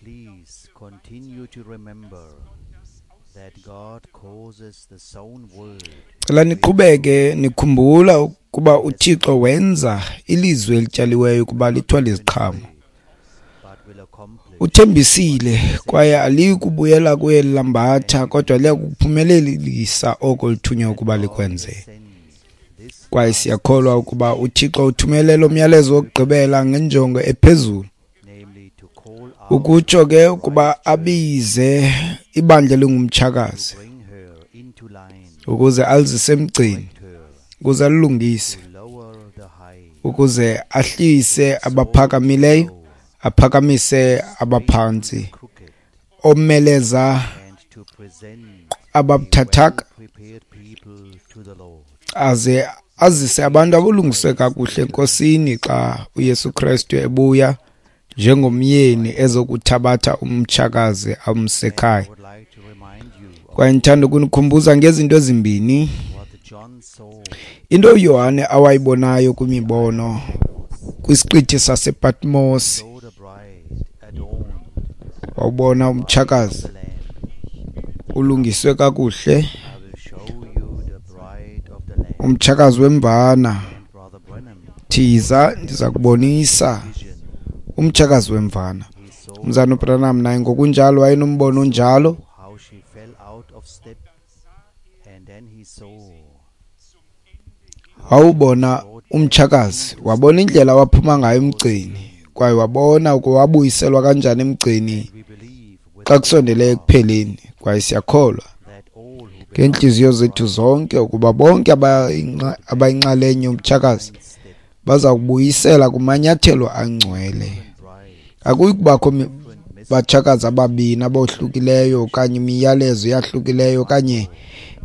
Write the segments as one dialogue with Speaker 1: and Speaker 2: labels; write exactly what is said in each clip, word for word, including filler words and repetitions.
Speaker 1: Please continue to remember that God causes the sown word
Speaker 2: Cela niqhubeke nikhumbula ukuba uThixo wenza ilizwi elityaliweyo ukuba lithwale iziqhamo.
Speaker 1: but will accomplish
Speaker 2: Uthembisile kwaye aliyi kubuyela kuye lambatha, kodwa liya kuphumelelisa oko lithunywe ukuba likwenze.
Speaker 1: sends this
Speaker 2: Kwaye siyakholwa ukuba uThixo uthumele lo myalezo wokugqibela ngenjongo ephezulu,
Speaker 1: namely to call out,
Speaker 2: ukutsho ke ukuba abize ibandla elingumtshakazi
Speaker 1: bring her into line,
Speaker 2: ukuze alizise emgceni,
Speaker 1: her
Speaker 2: ukuze alilungise,
Speaker 1: to lower the high,
Speaker 2: ukuze ahlise abaphakamileyo, aphakamise abaphantsi,
Speaker 1: crooked,
Speaker 2: omeleza
Speaker 1: and to present
Speaker 2: ababuthathaka,
Speaker 1: prepared people to the Lord.
Speaker 2: aze azise abantu abalungiswe kakuhle eNkosini xa uYesu Kristu ebuya njengomyeni ezokuthabatha umtshakazi amse ekhaya.
Speaker 1: I would like to remind you of
Speaker 2: Kwaye ndithanda ukunikhumbuza ngezinto ezimbini.
Speaker 1: what John saw
Speaker 2: Into uYohane awayibonayo kwimibono kwisiqithi sasePatmos,
Speaker 1: saw the bride adorned
Speaker 2: wawubona umtshakazi
Speaker 1: the Lamb.
Speaker 2: ulungiswe kakuhle,
Speaker 1: I will show you the bride of the Lamb.
Speaker 2: umtshakazi wemvana.
Speaker 1: And Brother Branham
Speaker 2: Thiza ndiza kubonisa
Speaker 1: vision.
Speaker 2: umtshakazi wemvana.
Speaker 1: He saw
Speaker 2: Umzana uBranham naye ngokunjalo wayenombono onjalo.
Speaker 1: how she fell out of step, and then he saw
Speaker 2: Wawubona umtshakazi, wabona indlela awaphuma ngayo emgceni, kwaye wabona ukuba wabuyiselwa kanjani emgceni
Speaker 1: we believe with
Speaker 2: xa kusondele ekupheleni. Kwaye siyakholwa
Speaker 1: that all who
Speaker 2: ngeentliziyo zethu zonke ukuba bonke abayinxa- abayinxalenye yomtshakazi
Speaker 1: step
Speaker 2: baza kubuyisela kumanyathelo angcwele.
Speaker 1: bride
Speaker 2: Akuyi kubakho mi- batshakazi ababini abohlukileyo okanye imiyalezo eyahlukileyo okanye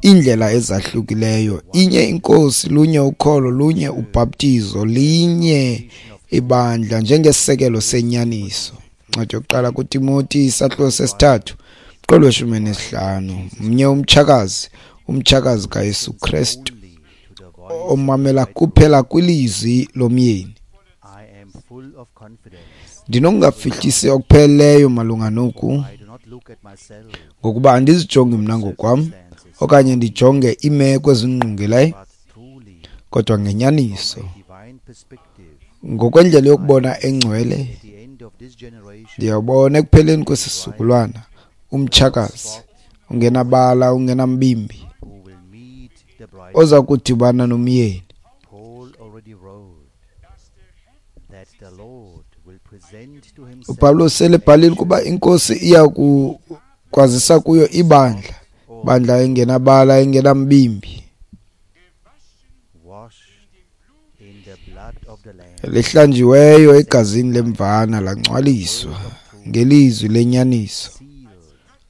Speaker 2: iindlela ezahlukileyo. Inye iNkosi, lunye ukholo, lunye ubhaptizo, linye ibandla njengesisekelo senyaniso. Incwadi yokuqala kuTimoti isahluko sesithathu umqolo weshumi nesihlanu. Mnye umtshakazi, umtshakazi kaYesu Kristu,
Speaker 1: only to the voice
Speaker 2: omamela kuphela kwilizwi lomyeni.
Speaker 1: I am full of confidence.
Speaker 2: Ndinokungafihlisi okupheleleyo malunga noku,
Speaker 1: I do not look at myself
Speaker 2: ngokuba andizijongi mna ngokwam okanye ndijonge iimeko ezingqongileyo,
Speaker 1: but truly
Speaker 2: kodwa ngenyaniso,
Speaker 1: from a divine perspective
Speaker 2: ngokwendlela yokubona engcwele,
Speaker 1: at the end of this generation
Speaker 2: ndiyawubona ekupheleni kwesi sizukulwana umtshakazi ungenabala, ungenambimbi,
Speaker 1: who will meet the bride.
Speaker 2: oza kudibana nomyeni.
Speaker 1: Paul already wrote that the Lord will present to himself
Speaker 2: uPawulos sele ebhalile ukuba iNkosi iya kukwazisa kuyo ibandla, bandla engenabala, engenambimbi,
Speaker 1: washed in the blood of the Lamb,
Speaker 2: lihlanjiweyo egazini lemvana, langcwaliswa ngelizwi lenyaniso,
Speaker 1: sealed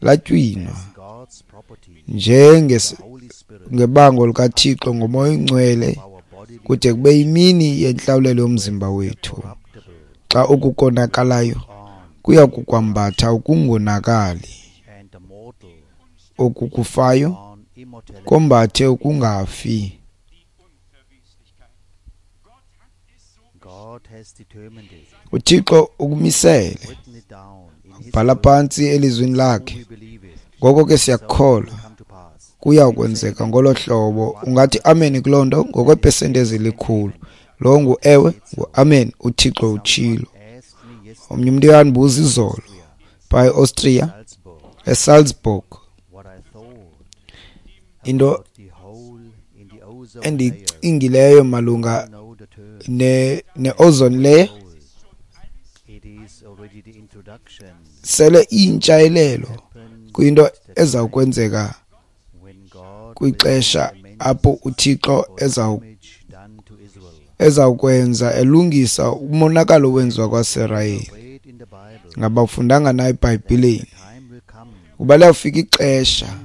Speaker 2: latywinwa
Speaker 1: as God's property,
Speaker 2: njenges
Speaker 1: the Holy Spirit,
Speaker 2: ngebango likaThixo ngoMoya oNgcwele,
Speaker 1: our bodily
Speaker 2: kude kube yimini yentlawulelo yomzimba wethu,
Speaker 1: corruptible
Speaker 2: xa okukonakalayo
Speaker 1: on
Speaker 2: kuya kukwambatha ukungonakali,
Speaker 1: and the mortal
Speaker 2: okukufayo
Speaker 1: on immortality.
Speaker 2: kombathe ukungafi.
Speaker 1: God has determined it,
Speaker 2: uThixo ukumisele,
Speaker 1: written it down in his
Speaker 2: bhala
Speaker 1: word,
Speaker 2: phantsi elizwini
Speaker 1: so
Speaker 2: lakhe.
Speaker 1: we believe it.
Speaker 2: Ngoko ke
Speaker 1: So it
Speaker 2: siyakholwa
Speaker 1: will come to pass.
Speaker 2: kuya kwenzeka ngolo hlobo. Ungathi amen kuloo nto ngokweepesenti ezilikhulu. Lo ngu ewe, ngu-amen, uThixo utshilo.
Speaker 1: Asked me yesterday,
Speaker 2: Omnye umntu uyandibuza izolo phaa eAustria,
Speaker 1: Salzburg,
Speaker 2: eSalzburg,
Speaker 1: what I thought
Speaker 2: into
Speaker 1: about the hole in the ozone layer.
Speaker 2: endiyicingileyo malunga
Speaker 1: Know the term
Speaker 2: ne ne-ozone layer.
Speaker 1: hole. It is already the introduction
Speaker 2: Sele iyintshayelelo
Speaker 1: happened
Speaker 2: kwinto
Speaker 1: at the
Speaker 2: eza
Speaker 1: time
Speaker 2: kwenzeka
Speaker 1: when God will
Speaker 2: kwixesha
Speaker 1: make amends
Speaker 2: apho uThixo
Speaker 1: for the
Speaker 2: eza
Speaker 1: damage done to Israel.
Speaker 2: ezawukwenza elungisa umonakalo owenziwa kwaSirayeli.
Speaker 1: Read in the Bible
Speaker 2: Ngabafundanga na eBhayibhileni
Speaker 1: the time will come
Speaker 2: kuba liyawufika ixesha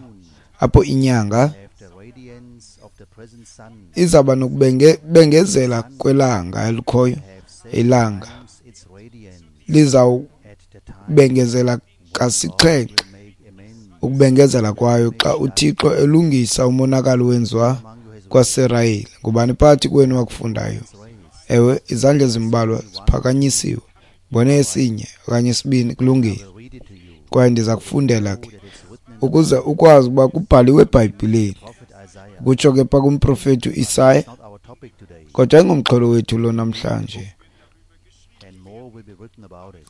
Speaker 2: apho inyanga
Speaker 1: after radiance of the present sun
Speaker 2: izawuba nokubengezela kwelanga elikhoyo.
Speaker 1: have seven
Speaker 2: Ilanga
Speaker 1: times its radiance at the time
Speaker 2: lizawubengezela
Speaker 1: God
Speaker 2: kasixhenxe
Speaker 1: will make amends
Speaker 2: ukubengezela kwayo xa uThixo elungisa umonakalo owenziwa
Speaker 1: among you has
Speaker 2: kwaSirayeli. Ngubani phakathi kwenu wakufundayo?
Speaker 1: raised
Speaker 2: Ewe, izandla ezimbalwa ziphakanyisiwe. Mbone esinye okanye isibini, kulungile.
Speaker 1: I will read it
Speaker 2: Kwaye ndiza kufundela ke ukuze ukwazi ukuba kubhaliwe eBhayibhileni. Kutsho ke pha kumprofeti uIsaya, kodwa ayingomxholo wethu lo namhlanje.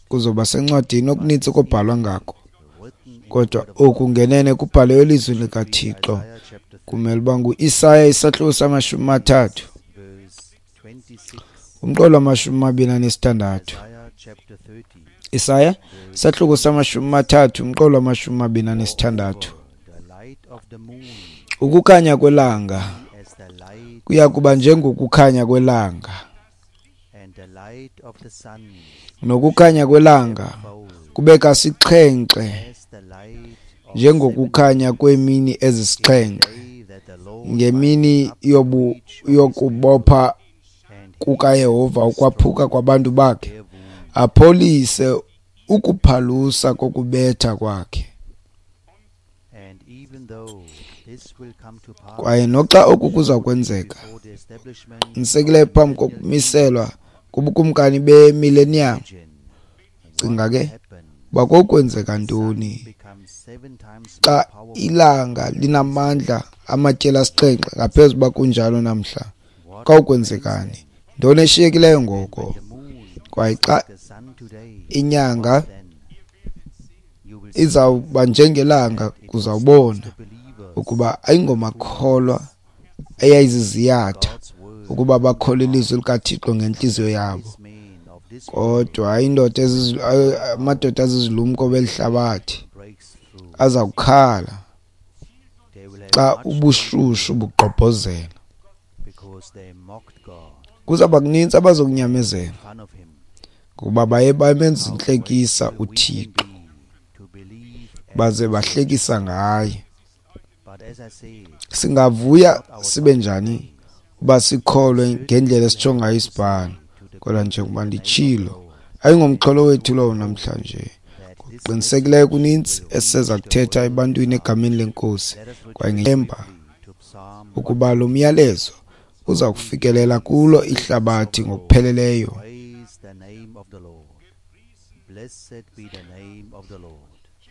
Speaker 2: Kuzoba sencwadini okunintsi kobhalwa ngako, kodwa oku ngenene kubhaliwe elizwini likaThixo. Kumele uba nguIsaya isahluko samashumi amathathu, umqolo wamashumi amabini anesithandathu. Isaya isahluko samashumi amathathu, umqolo wamashumi amabini anesithandathu. Ukukhanya kwelanga kuya kuba njengokukhanya kwelanga, nokukhanya kwelanga kube kasixhenxe njengokukhanya kweemini ezisixhenxe, ngemini yobu yokubopha kukaYehova ukwaphuka kwabantu bakhe, apholise ukuphalusa kokubetha kwakhe. Kwaye noxa oku kuza kwenzeka, qinisekileyo phambi kokumiselwa kubukumkani bemillennium, cinga ke uba kokwenzeka ntoni xa ilanga linamandla amatyeli asixhenxe ngaphezu uba kunjalo namhla. Kawukwenzekani? Ntoni eshiyekileyo ngoko? Kwaye xa inyanga izawuba njengelanga, kuzawubona ukuba ayingomakholwa eyayiziziyatha ukuba bakholwe ilizwi likaThixo ngentliziyo yabo, kodwa indoda amadoda azizilumko belihlabathi aza kukhala xa ubushushu bugqobhozela. Kuzawuba kunintsi abazokunyamezela ngokuba baye bamenza intlekisa uThixo, baze bahlekisa ngaye. Singavuya sibe njani uba sikholwe ngendlela esitsho ngayo isibhalo? Kodwa njengoba nditshilo, ayingomxholo wethu lowo namhlanje. Ngokuqinisekileyo kunintsi eseza kuthetha ebantwini egameni leNkosi, kwaye ngethemba ukuba lo myalezo uza kufikelela kulo ihlabathi ngokupheleleyo.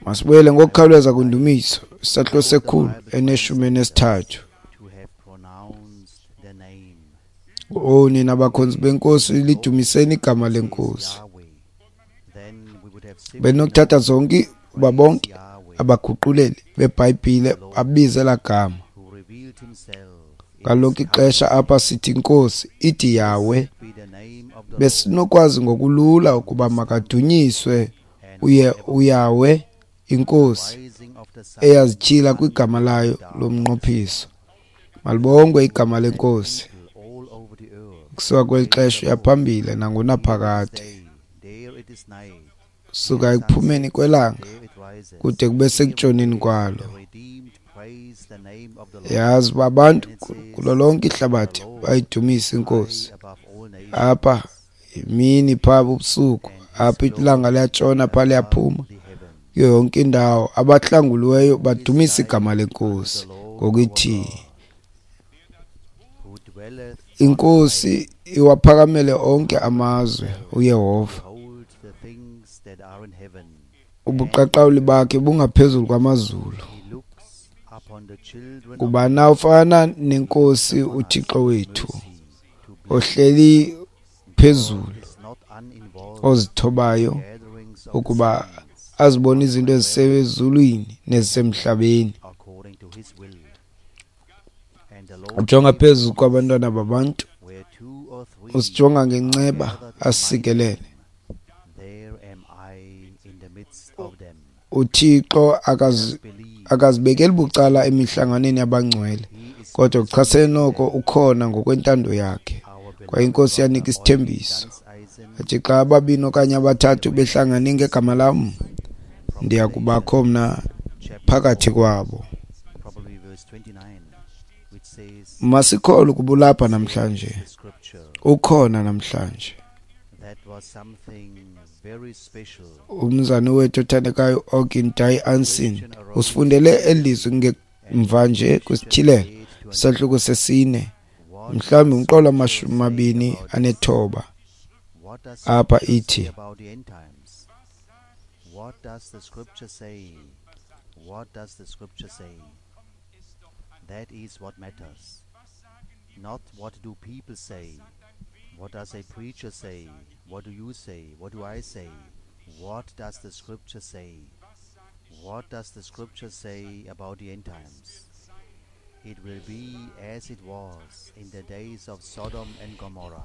Speaker 2: Masibuyele ngokukhawuleza kwindumiso isahluko sekhulu eneshumi enesithathu. O nina bakhonzi beNkosi, lidumiseni igama leNkosi. Benokuthatha zonke uba bonke abaguquleli beBhayibhile babize laa gama. Ngalonke ixesha apha sithi Nkosi, ithi Yahweh. Besinokwazi ngokulula ukuba makadunyiswe uye uYahweh iNkosi eyazityhila kwigama layo lomnqophiso. Malibongwe igama leNkosi kusuka kweli xesha uyaphambili nangonaphakade, suka ekuphumeni kwelanga kude kube sekutshoneni kwalo. Yazi uba abantu kulo lonke ihlabathi bayidumisa iNkosi. Apha imini, phaa ubusuku, apha ilanga liyatshona, phaa liyaphuma, kuyo yonke indawo abahlanguliweyo badumisa igama leNkosi ngokuthi iNkosi iwaphakamele onke amazwe uYehova. Ubuqaqawuli bakhe bungaphezulu kwamazulu. Kuba na ufana nenkosi uThixo wethu ohleli phezulu, ozithobayo ukuba azibone izinto ezisezulwini nezisemhlabeni. Ujonga phezu kwabantwana babantu, usijonga ngenceba asikelele. UThixo akazibekeli bucala emihlanganweni yabangcwele, kodwa kuchasene noko ukhona ngokwentando yakhe. Kwaye iNkosi yanika isithembiso athi xa ababini okanye abathathu behlangane ngegama lam, ndiya kubakho mna phakathi kwabo. Masikholwe ukuba ulapha namhlanje, ukhona namhlanje. Umzane wethu othandekayo Ogin Ansin usifundele elizwi ngemva nje kwisityhilelo isahluko sesine, mhlawumbi umqolo amashumi amabini anethoba. Apha ithi,
Speaker 1: What does the scripture say? What does the scripture say? That is what matters. Not what do people say? What does a preacher say? What do you say? What do I say? What does the scripture say? What does the scripture say about the end times? It will be as it was in the days of Sodom and Gomorrah.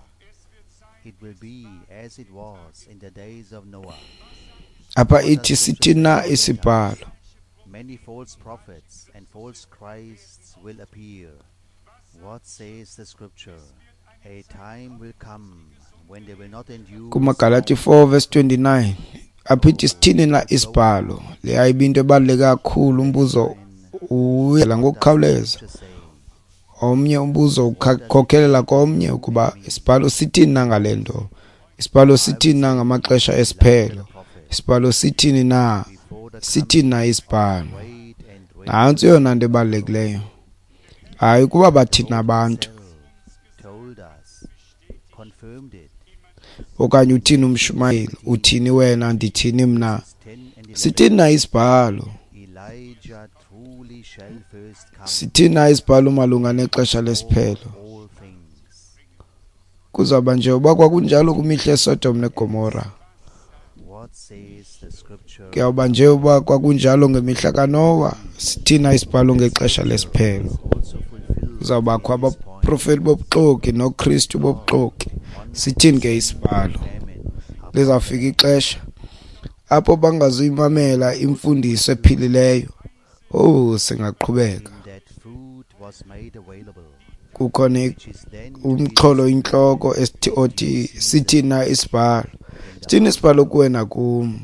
Speaker 1: It will be as it was in the days of Noah.
Speaker 2: Apha ithi sithini na isibhalo?
Speaker 1: Many false prophets and false Christs will appear. What says the scripture? A time will come when they will not endure.
Speaker 2: KumaGalati four verse twenty-nine apha ithi sithini na isibhalo? Le ayibinto ebaluleke kakhulu, umbuzo uyela ngokukhawuleza. Omnye umbuzo ukhokhelela komnye ukuba isibhalo sithini na ngale nto? Isibhalo sithini na ngamaxesha esiphelo? Isibhalo sithini na? Sithini na isibhalo? Nantsi eyona nto ebalulekileyo. Hayi ukuba bathini abantu okanye uthini umshumayeli, uthini wena, ndithini mna. Sithini na isibhalo? Sithini na isibhalo malunga nexesha lesiphelo? Kuzawuba nje uba kwakunjalo kwimihla yeSodom neGomora. Kuyawuba nje uba kwakunjalo ngemihla kaNowa. Sithini na isibhalo ngexesha lesiphelo? Kuzawubakho abaprofeti bobuxoki noKristu bobuxoki. Sithini ke isibhalo? Lizawufika ixesha apho bangazuyimamela imfundiso ephilileyo. Oh, singaqhubeka. Kukhona umxholo intloko esithi othi sithini na isibhalo? Sithini isibhalo kuwe nakum?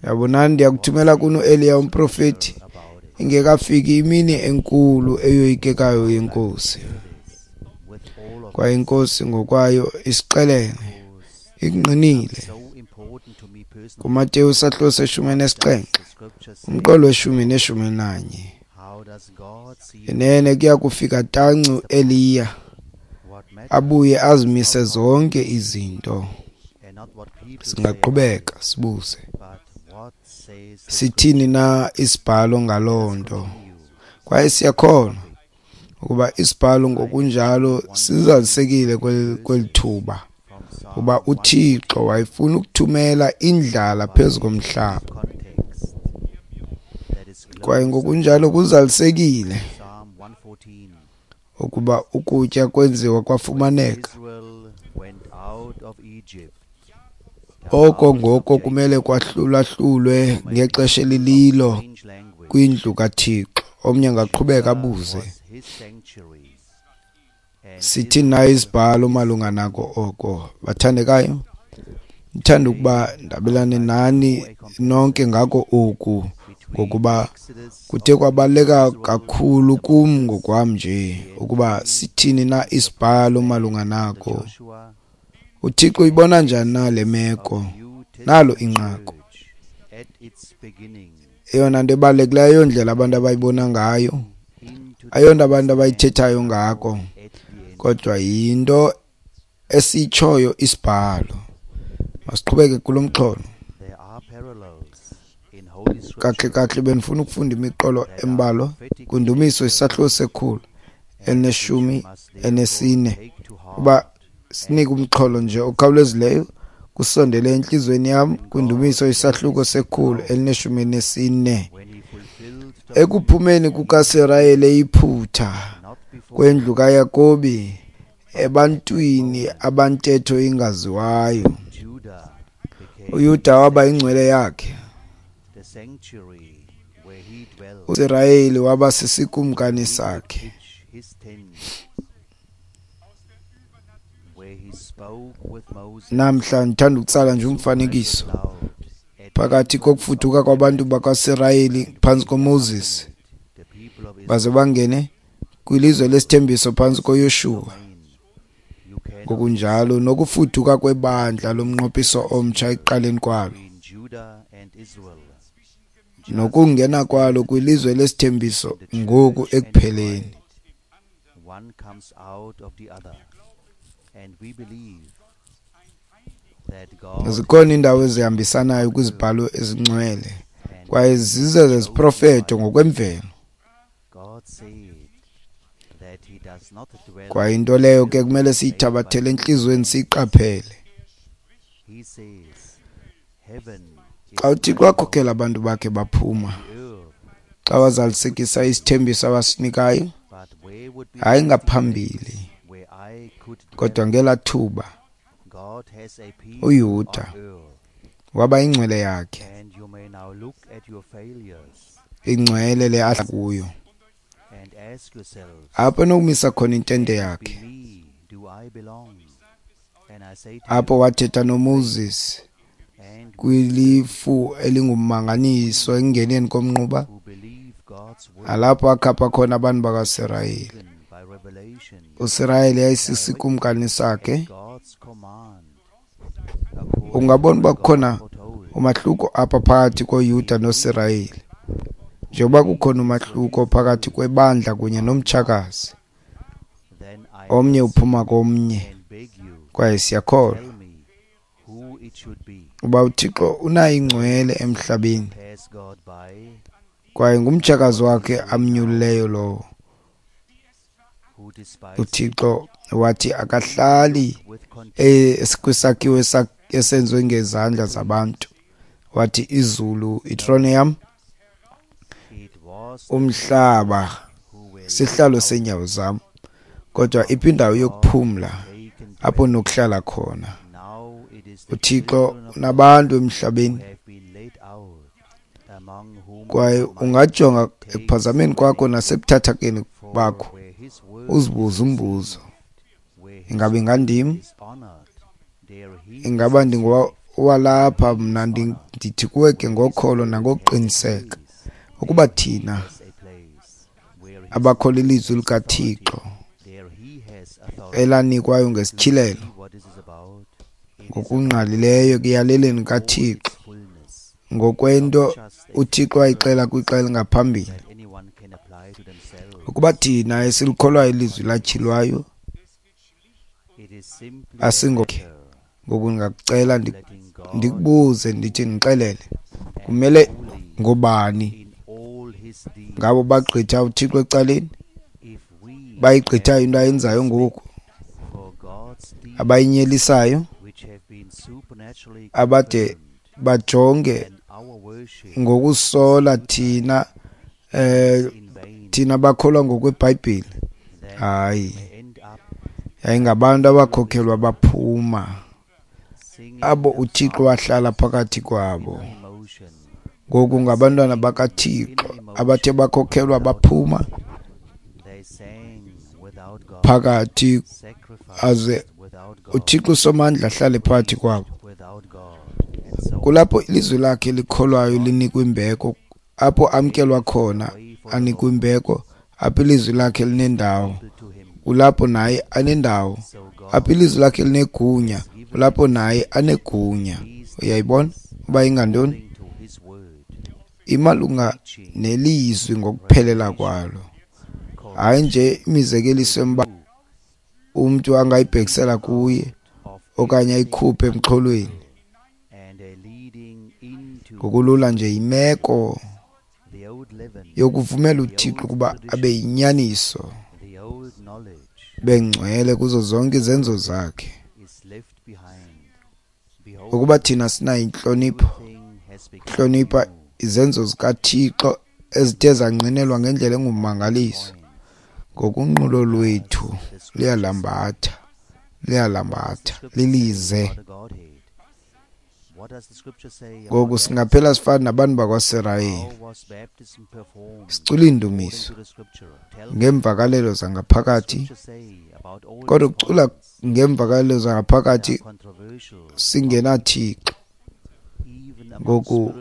Speaker 2: Yabonani, ndiyakuthumela kuni uEliya umprofeti ingekafiki imini enkulu eyoyikekayo yeNkosi. Kwaye iNkosi ngokwayo isixelele, ikungqinile. KuMateyu sahluko seshumi nesixhenxe, umqolo weshumi neshumi nanye. Inene kuya kufika tanci uEliya abuye azimise zonke izinto. Singaqhubeka sibuze, sithini na isibhalo ngaloo nto? Kwaye siyakholwa ukuba isibhalo ngokunjalo sizalisekile kweli thuba, kuba uThixo wayefuna ukuthumela indlala phezu komhlaba. Kwaye ngokunjalo kuzalisekile ukuba ukutya kwenziwa kwafumaneka. Oko ngoko kumele kwahlulahlulwe ngexesha elililo kwindlu kaThixo. Omnye angaqhubeka abuze, sithini na isibhalo malunga nako oko? Bathandekayo, ndithanda ukuba ndabelane nani nonke ngako oku, ngokuba kuthe kwabaluleka kakhulu kum ngokwam nje ukuba sithini na isibhalo malunga nako. UThixo uyibona njani na le meko? Nalo inqaku. Eyona nto ebalulekileyo ayondlela abantu abayibona ngayo, ayonto abantu abayithethayo ngako, kodwa yinto esitshoyo isibhalo. Masiqhubeke kulo mxholo. Kahle kahle bendifuna ukufunda imiqolo embalwa kwiNdumiso isahluko sekhulu elineshumi enesine, uba sinike umxholo nje okhawulezileyo kusondele entliziyweni yam. KwiNdumiso isahluko sekhulu elineshumi nesine. Ekuphumeni kukaSirayeli eYiputa, kwendlu kaYakobi, ebantwini abantetho ingaziwayo, uYuda waba ingcwele yakhe, uSirayeli waba sisikumkani sakhe. Namhla ndithanda ukutsala nje umfanekiso phakathi kokufuduka kwabantu bakwaSirayeli phantsi koMoses baze bangene kwilizwe lesithembiso phantsi koYoshuwa, ngokunjalo nokufuduka kwebandla lomnqophiso omtsha ekuqaleni kwalo nokungena kwalo kwilizwe lesithembiso ngoku ekupheleni.
Speaker 1: One comes out of the other, and we believe
Speaker 2: Zikhona iindawo ezihambisanayo kwizibhalo ezingcwele kwaye zize zeziprofeto ngokwemvelo. Kwaye into leyo ke kumele siyithabathele entliziyweni siyiqaphele. Xa uThixo wakhokela abantu bakhe baphuma, xa wazalisekisa isithembiso awasinikayo, hayi ngaphambili, kodwa ngelaa thuba uYuda waba ingcwele yakhe, ingcwele le ahlala kuyo, apho enokumisa khona intente yakhe, apho wathetha noMoses kwilifu elingummanganiso ekungeneni komnquba, nalapho akhapha khona abantu bakaSirayeli. USirayeli yayisisikumkani sakhe. Ungabona uba kukhona umahluko apha phakathi koYuda noSirayeli, njengoba kukhona umahluko phakathi kwebandla kunye nomtshakazi. Omnye uphuma komnye, kwaye siyakholwa uba uThixo unayo ingcwele emhlabeni, kwaye ngumtshakazi wakhe amnyulileyo lowo. UThixo wathi akahlali kwisakhiwo esenziwe ngezandla zabantu. Wathi izulu itrone yam, umhlaba sihlalo seenyawo zam, kodwa iphi indawo yokuphumla apho nokuhlala khona? UThixo unabantu emhlabeni, kwaye ungajonga ekuphazameni kwakho nasebuthathakeni bakho uzibuze umbuzo, ingaba ingandim? Ingaba ndingowalapha? Mna ndithi kuwe ke ngokholo nangokuqiniseka ukuba thina abakholwa ilizwi likaThixo elanikwayo ngesityhilelo ngokungqalileyo ekuyaleleni kaThixo ngokwento uThixo ayixela kwixa elingaphambili, ukuba thina esilikholwayo ilizwi latyhilwayo asingokhe. Ngoku ndingakucela ndikubuze ndithi ndixelele, kumele ngobani ngabo bagqitha uThixo ecaleni, bayigqithayo into ayenzayo ngoku, abayinyelisayo, abade bajonge ngokusola thina eh thina bakholwa ngokweBhayibhile? Hayi, yayingabantu abakhokhelwa baphuma, abo uThixo wahlala phakathi kwabo. Ngoku ngabantwana bakaThixo abathe bakhokhelwa baphuma phakathi, aze uThixo uSomandla ahlale phakathi kwabo. Kulapho ilizwi lakhe likholwayo linikwa imbeko, apho amkelwa khona anikwa imbeko, apho ilizwi lakhe linendawo kulapho naye anendawo, apho ilizwi lakhe linegunya kulapho naye anegunya. Uyayibona uba ingantoni? Imalunga nelizwi ngokuphelela kwalo, hayi nje imizekeliso emba umntu angayibhekisela kuye okanye ayikhuphe emxholweni. Ngokulula nje yimeko yokuvumela uThixo ukuba abe yinyaniso, bengcwele kuzo zonke izenzo zakhe. Ukuba thina sinayo intlonipho, hlonipha izenzo zikaThixo ezithe zangqinelwa ngendlela engummangaliso, ngokunqulo lwethu liyalambatha, liyalambatha, lilize. Ngoku singaphela sifana nabantu bakwaSirayeli, sicula iindumiso ngeemvakalelo zangaphakathi, kodwa ukucula ngeemvakalelo zangaphakathi singenaThixo. Ngoku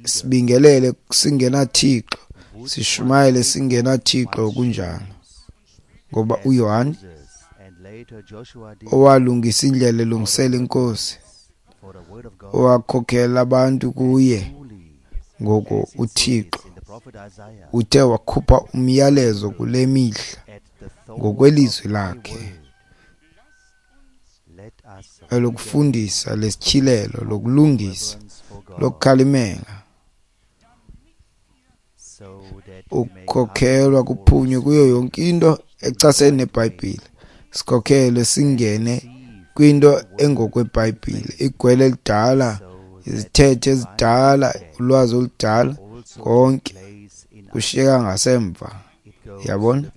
Speaker 2: sibingelele singenaThixo, sishumayele singenaThixo, kunjalo. Ngoba uYohane owalungisa indlela elungisela inkosi, owakhokhela abantu kuye, ngoku uThixo uthe wakhupha umyalezo kule mihla ngokwelizwi lakhe. Lokufundisa, lesityhilelo, lokulungisa, lokukhalimela, ukhokhelwa kuphunywe kuyo yonke into echasene neBhayibhile, sikhokhelwe singene kwinto engokweBhayibhile, igwele elidala, izithethe ezidala, ulwazi oludala, konke kushiyeka ngasemva. Yabona,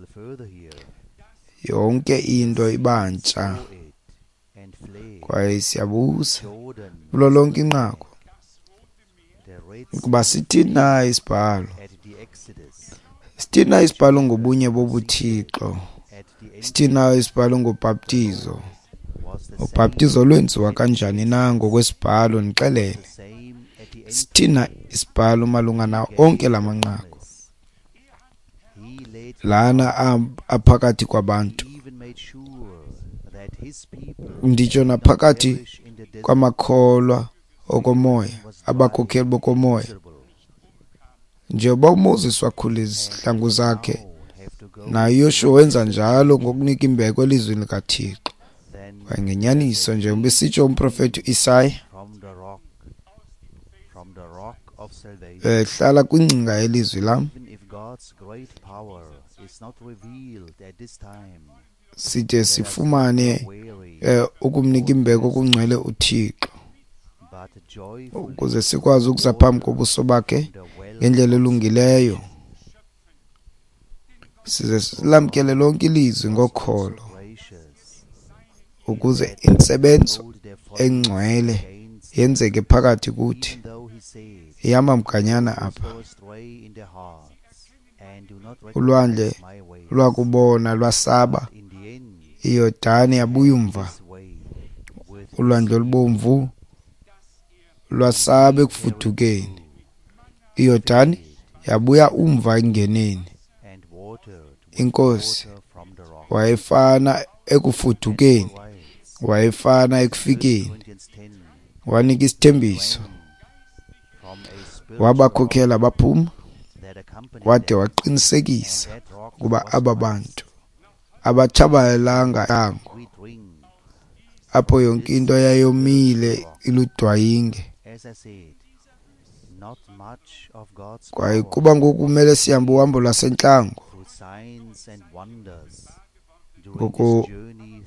Speaker 2: yonke into ibantsha. Kwaye siyabuza kulo lonke inqaku ukuba sithini na isibhalo, sithini na isibhalo ngobunye bobuThixo, sithini na isibhalo ngobhaptizo, ubhaptizo lwenziwa kanjani na ngokwesibhalo, ndixelele sithini na isibhalo malunga nawo onke la manqaku lana aphakathi kwabantu, nditsho naphakathi kwamakholwa okomoya, abakhokheli bokomoya. Njengoba uMoses wakhula izihlangu zakhe, naye uYoshuwa wenza njalo ngokunika imbeko elizwini likaThixo. Kwaye ngenyaniso, njengoba esitsho umprofethi uIsaya, hlala kwingcinga yelizwi lam, side sifumane ukumnika imbeko okungcwele uThixo, ukuze sikwazi ukuza phambi kobuso bakhe ngendlela elungileyo, size silamkele lonke ilizwi ngokholo, ukuze intsebenzo engcwele yenzeke phakathi kuthi. Ihamba mganyana apha. Ulwandle lwakubona lwasaba, iYordani yabuya umva, ulwandle olubomvu lwasaba ekufudukeni, iYordani yabuya umva engeneni. Inkosi wayefana ekufudukeni, wayefana ekufikeni, wanika isithembiso, wabakhokhela baphuma, wade waqinisekisa ukuba aba bantu abatshabalalanga entlango, apho yonke into yayomile iludwayinge. Kwaye kuba ngoku kumele sihambe uhambo lwasentlango, ngoku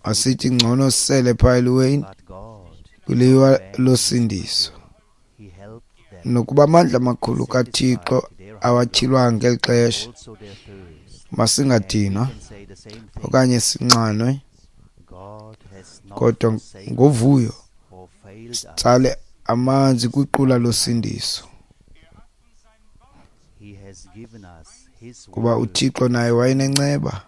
Speaker 2: asithi ngcono sisele phaa eliweni kwiliwa losindiso, nokuba amandla amakhulu kaThixo awatyhilwanga ngeli xesha, masingadinwa okanye sinxanwe, kodwa ngovuyo sitsale amanzi kwiqula losindiso, kuba uThixo naye wayenenceba,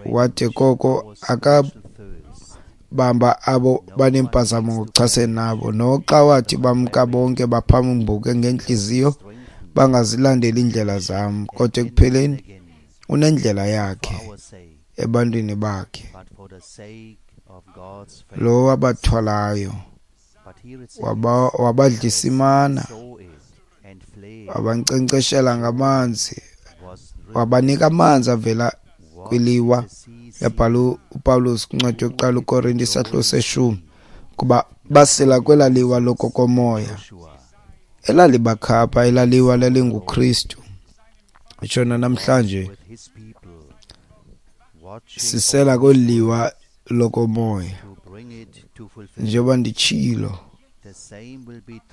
Speaker 2: wade koko akabamba abo banempazamo ngokuchasene nabo, noxa wathi bamka bonke baphambuke ngeentliziyo, bangazilandeli iindlela zam, kodwa ekupheleni unendlela yakhe ebantwini bakhe, lo wabathwalayo wabadlisa imana, wabankcenkceshela ngamanzi, wabanika amanzi avela kwiliwa. Yabhala uPawulos kwincwadi yokuqala uKorinte isahluko seshumi kuba basela kwela liwa lokokomoya elalibakhapha, elaliwa lalinguKristu. Ntshona namhlanje sisela kweli liwa lokomoya. Njengoba nditshilo,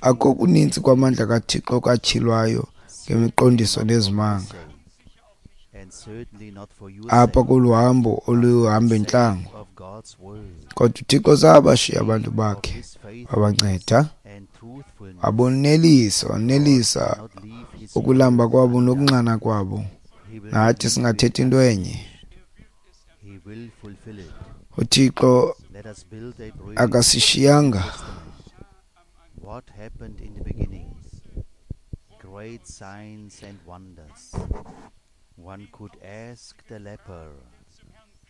Speaker 2: akho kuninzi kwamandla kaThixo katyhilwayo ngemiqondiso nezimanga apha kolu hambo oluhamba entlango, kodwa uThixo zabashiya abantu bakhe, wabanceda, wabonelisa, wanelisa ukulamba kwabo nokunxana kwabo. Nathi singathetha into enye. uThixo akasishiyanga.
Speaker 1: What happened in the beginning? Great signs and wonders. One could ask the leper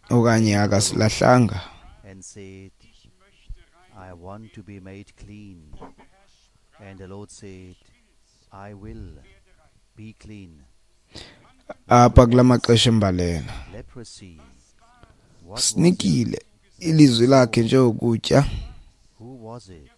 Speaker 2: okanye akasilahlanga
Speaker 1: and said, I want to be made clean. And the Lord said, I will be clean.
Speaker 2: Apha kula maxesha embalela
Speaker 1: Leprosy. What was
Speaker 2: sinikile ilizwi lakhe njengokutya,
Speaker 1: Who was it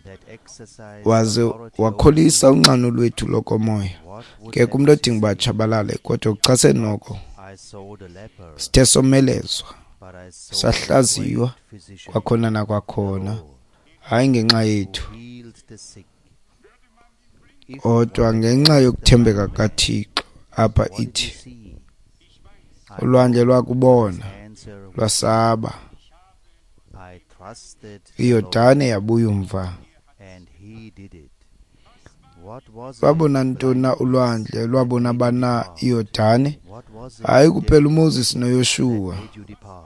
Speaker 1: that exercised
Speaker 2: waze
Speaker 1: authority over
Speaker 2: wakholisa
Speaker 1: you?
Speaker 2: unxano lwethu lokomoya.
Speaker 1: What would
Speaker 2: Ke
Speaker 1: have
Speaker 2: kumntu odinga uba
Speaker 1: you say?
Speaker 2: atshabalale, kodwa kuchasene noko
Speaker 1: I saw the leper,
Speaker 2: sithe somelezwa,
Speaker 1: but I saw the
Speaker 2: sahlaziywa
Speaker 1: great physician,
Speaker 2: kwakhona
Speaker 1: the
Speaker 2: nakwakhona,
Speaker 1: Lord,
Speaker 2: hayi ngenxa
Speaker 1: who
Speaker 2: yethu,
Speaker 1: healed the sick. If
Speaker 2: kodwa
Speaker 1: one
Speaker 2: ngenxa
Speaker 1: asked the
Speaker 2: yokuthembeka
Speaker 1: blind man,
Speaker 2: kaThixo. Apha
Speaker 1: What did you
Speaker 2: ithi
Speaker 1: see? I
Speaker 2: ulwandle
Speaker 1: know
Speaker 2: lwakubona
Speaker 1: his answer would be,
Speaker 2: lwasaba,
Speaker 1: I trusted the
Speaker 2: iYordane
Speaker 1: Lord,
Speaker 2: yabuya umva.
Speaker 1: and he did it. What was it,
Speaker 2: Lwabona ntoni na
Speaker 1: blind
Speaker 2: ulwandle?
Speaker 1: that
Speaker 2: Lwabona
Speaker 1: made you
Speaker 2: bana
Speaker 1: depart?
Speaker 2: iYordane?
Speaker 1: What was it,
Speaker 2: Hayi kuphela
Speaker 1: death,
Speaker 2: uMoses
Speaker 1: that
Speaker 2: noYoshuwa
Speaker 1: made you depart?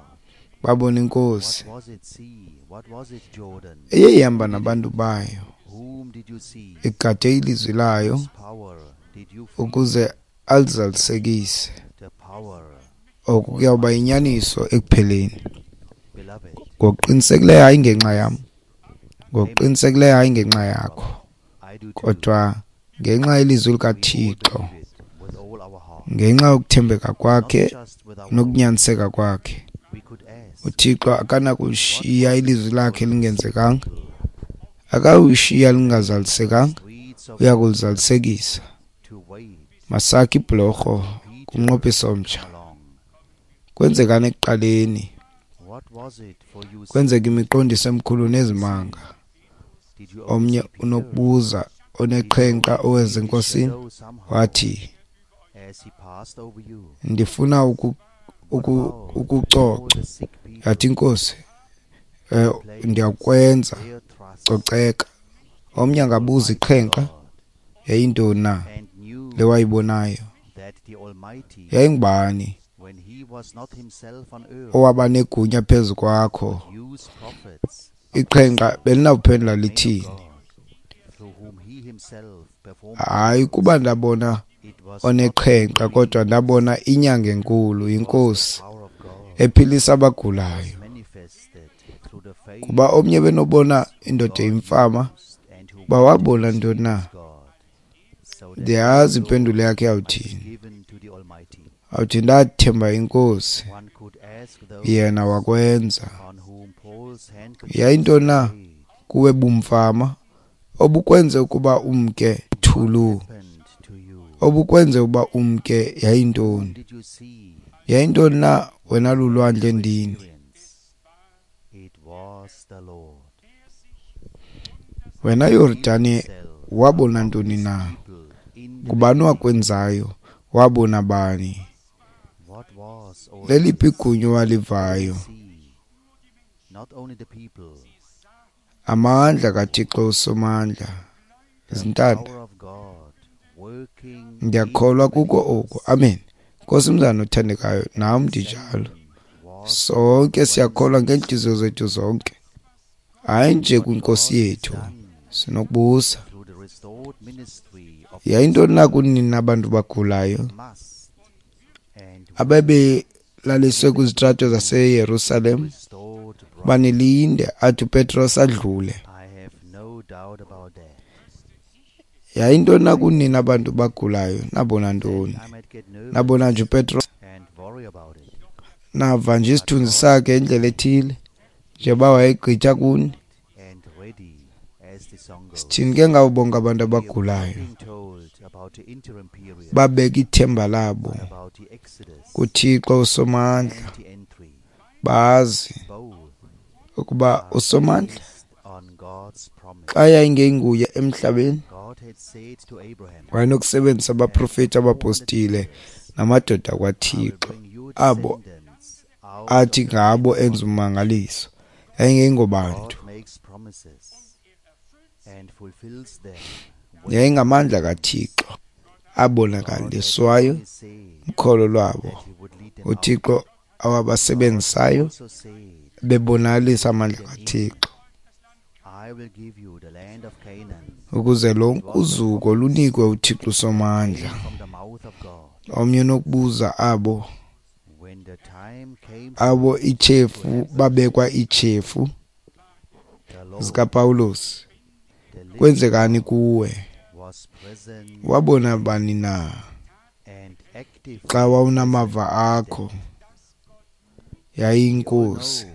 Speaker 2: babona inkosi
Speaker 1: What was it, sea? What was it, Jordan?
Speaker 2: eye
Speaker 1: Who
Speaker 2: ihamba
Speaker 1: did
Speaker 2: nabantu
Speaker 1: it?
Speaker 2: bayo,
Speaker 1: Whom did you see?
Speaker 2: igade ilizwi layo
Speaker 1: Whose power did you feel?
Speaker 2: ukuze alizalisekise.
Speaker 1: The power
Speaker 2: Oku
Speaker 1: was
Speaker 2: kuyawuba
Speaker 1: mighty.
Speaker 2: yinyaniso ekupheleni.
Speaker 1: Beloved,
Speaker 2: Ngokuqinisekileyo hayi ngenxa yam,
Speaker 1: amen.
Speaker 2: ngokuqinisekileyo hayi ngenxa yakho,
Speaker 1: Well, I do too.
Speaker 2: kodwa ngenxa yelizwi
Speaker 1: We all
Speaker 2: likaThixo,
Speaker 1: believe it with all our heart,
Speaker 2: ngenxa yokuthembeka
Speaker 1: not
Speaker 2: kwakhe
Speaker 1: just with our mouth.
Speaker 2: nokunyaniseka kwakhe.
Speaker 1: We could ask,
Speaker 2: uThixo
Speaker 1: what
Speaker 2: akanakushiya
Speaker 1: was it
Speaker 2: ilizwi lakhe
Speaker 1: for you sick
Speaker 2: lingenzekanga,
Speaker 1: people
Speaker 2: akayushiya
Speaker 1: in the
Speaker 2: lingazalisekanga,
Speaker 1: streets of
Speaker 2: uya
Speaker 1: Jerusalem
Speaker 2: kulizalisekisa.
Speaker 1: to wait
Speaker 2: Masakhe ibhlorho
Speaker 1: until Peter
Speaker 2: kumnqophiso
Speaker 1: would
Speaker 2: omtsha.
Speaker 1: come along?
Speaker 2: Kwenzekani ekuqaleni?
Speaker 1: What was it for you
Speaker 2: Kwenzeka
Speaker 1: see?
Speaker 2: imiqondiso emikhulu
Speaker 1: See,
Speaker 2: nezimanga.
Speaker 1: did you only
Speaker 2: Omnye
Speaker 1: see Peter?
Speaker 2: unokubuza
Speaker 1: Did you
Speaker 2: oneqhenqa
Speaker 1: only
Speaker 2: oweza
Speaker 1: feel his
Speaker 2: enkosini
Speaker 1: shadow somehow
Speaker 2: wathi,
Speaker 1: as he passed over you?
Speaker 2: ndifuna uku,
Speaker 1: What
Speaker 2: uku,
Speaker 1: about all
Speaker 2: ukucoca.
Speaker 1: the sick
Speaker 2: Yathi
Speaker 1: people
Speaker 2: inkosi,
Speaker 1: who
Speaker 2: eh,
Speaker 1: placed
Speaker 2: ndiyakwenza,
Speaker 1: their trust
Speaker 2: coceka.
Speaker 1: in
Speaker 2: Omnye
Speaker 1: the
Speaker 2: angabuza
Speaker 1: Almighty
Speaker 2: iqhenqa
Speaker 1: God
Speaker 2: yayintoni na
Speaker 1: and knew
Speaker 2: le wayibonayo?
Speaker 1: that the Almighty,
Speaker 2: Yayingubani
Speaker 1: when he was not himself on earth,
Speaker 2: owaba negunya phezu kwakho?
Speaker 1: would use prophets,
Speaker 2: Iqhenqa
Speaker 1: apostles,
Speaker 2: belinawuphendula
Speaker 1: men of
Speaker 2: lithini?
Speaker 1: God, through whom he himself performed
Speaker 2: Hayi
Speaker 1: miracles.
Speaker 2: kuba ndabona
Speaker 1: It was not the
Speaker 2: oneqhenqa, kodwa
Speaker 1: dreams,
Speaker 2: ndabona inyanga enkulu,
Speaker 1: it was the
Speaker 2: inkosi
Speaker 1: power of God
Speaker 2: ephilisa
Speaker 1: that
Speaker 2: abagulayo.
Speaker 1: was manifested through the faith
Speaker 2: Kuba omnye benobona
Speaker 1: whom
Speaker 2: indoda
Speaker 1: God
Speaker 2: imfama,
Speaker 1: used and who
Speaker 2: uba
Speaker 1: wanted
Speaker 2: wabona
Speaker 1: to
Speaker 2: ntoni na?
Speaker 1: please God, so that all
Speaker 2: Ndiyazi
Speaker 1: glory
Speaker 2: impendulo yakhe
Speaker 1: might be
Speaker 2: yawuthini.
Speaker 1: given to the Almighty.
Speaker 2: Awuthi ndathemba inkosi,
Speaker 1: One could ask those
Speaker 2: yena wakwenza.
Speaker 1: on whom Paul's handkerchiefs
Speaker 2: Yayintoni
Speaker 1: were
Speaker 2: na
Speaker 1: laid,
Speaker 2: kuwe bumfama obukwenze ukuba umke
Speaker 1: what
Speaker 2: thulu,
Speaker 1: happened to you?
Speaker 2: obukwenze ukuba umke
Speaker 1: Whom
Speaker 2: yayintoni?
Speaker 1: did you see?
Speaker 2: Yayintoni na wena
Speaker 1: What did
Speaker 2: lulwandle
Speaker 1: you
Speaker 2: ndini?
Speaker 1: experience? It was the Lord.
Speaker 2: Wena
Speaker 1: Who healed
Speaker 2: Yordane
Speaker 1: himself
Speaker 2: wabona
Speaker 1: among
Speaker 2: ntoni
Speaker 1: his
Speaker 2: na?
Speaker 1: people in the
Speaker 2: Ngubani
Speaker 1: beginning.
Speaker 2: wakwenzayo? Wabona bani?
Speaker 1: What was all
Speaker 2: Leliphi
Speaker 1: this?
Speaker 2: igunya
Speaker 1: What did you
Speaker 2: walivayo?
Speaker 1: see? Not only the people,
Speaker 2: Amandla kaThixo uSomandla.
Speaker 1: the
Speaker 2: Zintanda,
Speaker 1: power of God working in the
Speaker 2: ndiyakholwa kuko oku.
Speaker 1: believers.
Speaker 2: Amen. Nkosi mzana othandekayo,
Speaker 1: And
Speaker 2: nam
Speaker 1: the
Speaker 2: ndinjalo.
Speaker 1: same was
Speaker 2: Sonke siyakholwa
Speaker 1: Wednesday's.
Speaker 2: ngeentliziyo zethu zonke, hayi nje
Speaker 1: What
Speaker 2: kwinkosi
Speaker 1: God has
Speaker 2: yethu.
Speaker 1: done
Speaker 2: Sinokubuza,
Speaker 1: through the restored ministry of
Speaker 2: yayintoni na
Speaker 1: Christ
Speaker 2: kunini abantu bagulayo
Speaker 1: must and will
Speaker 2: ababelaliswe
Speaker 1: be
Speaker 2: kwizitrato
Speaker 1: to
Speaker 2: zaseYerusalem?
Speaker 1: the restored bride.
Speaker 2: Banilinde athi uPetros adlule.
Speaker 1: I have no doubt about that.
Speaker 2: Yayintoni na
Speaker 1: I
Speaker 2: kunini abantu bagulayo? Nabona
Speaker 1: that
Speaker 2: ntoni?
Speaker 1: I might get
Speaker 2: Nabona
Speaker 1: nervous
Speaker 2: nje uPetros,
Speaker 1: and worry about it.
Speaker 2: nava nje
Speaker 1: But
Speaker 2: isithunzi
Speaker 1: God's
Speaker 2: sakhe indlela
Speaker 1: plan
Speaker 2: ethile njengoba
Speaker 1: is
Speaker 2: wayegqitha kuni.
Speaker 1: complete and ready, as the song
Speaker 2: Sithini
Speaker 1: goes.
Speaker 2: ke ngabo bonke abantu
Speaker 1: We have not
Speaker 2: abagulayo
Speaker 1: been told about the interim period,
Speaker 2: babeka ithemba labo
Speaker 1: but about the Exodus
Speaker 2: kuThixo uSomandla,
Speaker 1: and the entry.
Speaker 2: bazi
Speaker 1: Both
Speaker 2: ukuba
Speaker 1: are
Speaker 2: uSomandla
Speaker 1: based on God's promise.
Speaker 2: xa yayingenguye emhlabeni
Speaker 1: God had said to Abraham,
Speaker 2: wayenokusebenzisa
Speaker 1: After
Speaker 2: abaprofeti,
Speaker 1: four hundred
Speaker 2: abapostile
Speaker 1: years,
Speaker 2: namadoda
Speaker 1: I will
Speaker 2: kwaThixo
Speaker 1: bring you
Speaker 2: abo
Speaker 1: descendants out
Speaker 2: athi
Speaker 1: of the
Speaker 2: ngabo
Speaker 1: land of
Speaker 2: enza
Speaker 1: bondage.
Speaker 2: ummangaliso. Yayingengobantu,
Speaker 1: God makes promises and fulfills them when he
Speaker 2: yayingamandla
Speaker 1: comes.
Speaker 2: kaThixo
Speaker 1: God had
Speaker 2: abonakaliswayo
Speaker 1: only said
Speaker 2: ukholo lwabo
Speaker 1: that he would lead them out.
Speaker 2: uThixo
Speaker 1: God
Speaker 2: awabasebenzisayo
Speaker 1: also said
Speaker 2: bebonakalisa
Speaker 1: he would
Speaker 2: amandla
Speaker 1: lead them in.
Speaker 2: kaThixo
Speaker 1: I will give you the land of Canaan.
Speaker 2: ukuze
Speaker 1: It
Speaker 2: lonke
Speaker 1: was a
Speaker 2: uzuko
Speaker 1: promise
Speaker 2: lunikwe uThixo
Speaker 1: that
Speaker 2: uSomandla.
Speaker 1: came from the mouth of God.
Speaker 2: Omnye unokubuza abo
Speaker 1: When the time came for
Speaker 2: abo
Speaker 1: it to
Speaker 2: itshefu
Speaker 1: happen,
Speaker 2: babekwa itshefu
Speaker 1: the Lord,
Speaker 2: zikaPawulos,
Speaker 1: the living
Speaker 2: kwenzekani
Speaker 1: God,
Speaker 2: kuwe?
Speaker 1: was present
Speaker 2: Wabona bani na
Speaker 1: and actively
Speaker 2: xa wawunamava
Speaker 1: present
Speaker 2: akho?
Speaker 1: then. We all
Speaker 2: Yayiyinkosi.
Speaker 1: know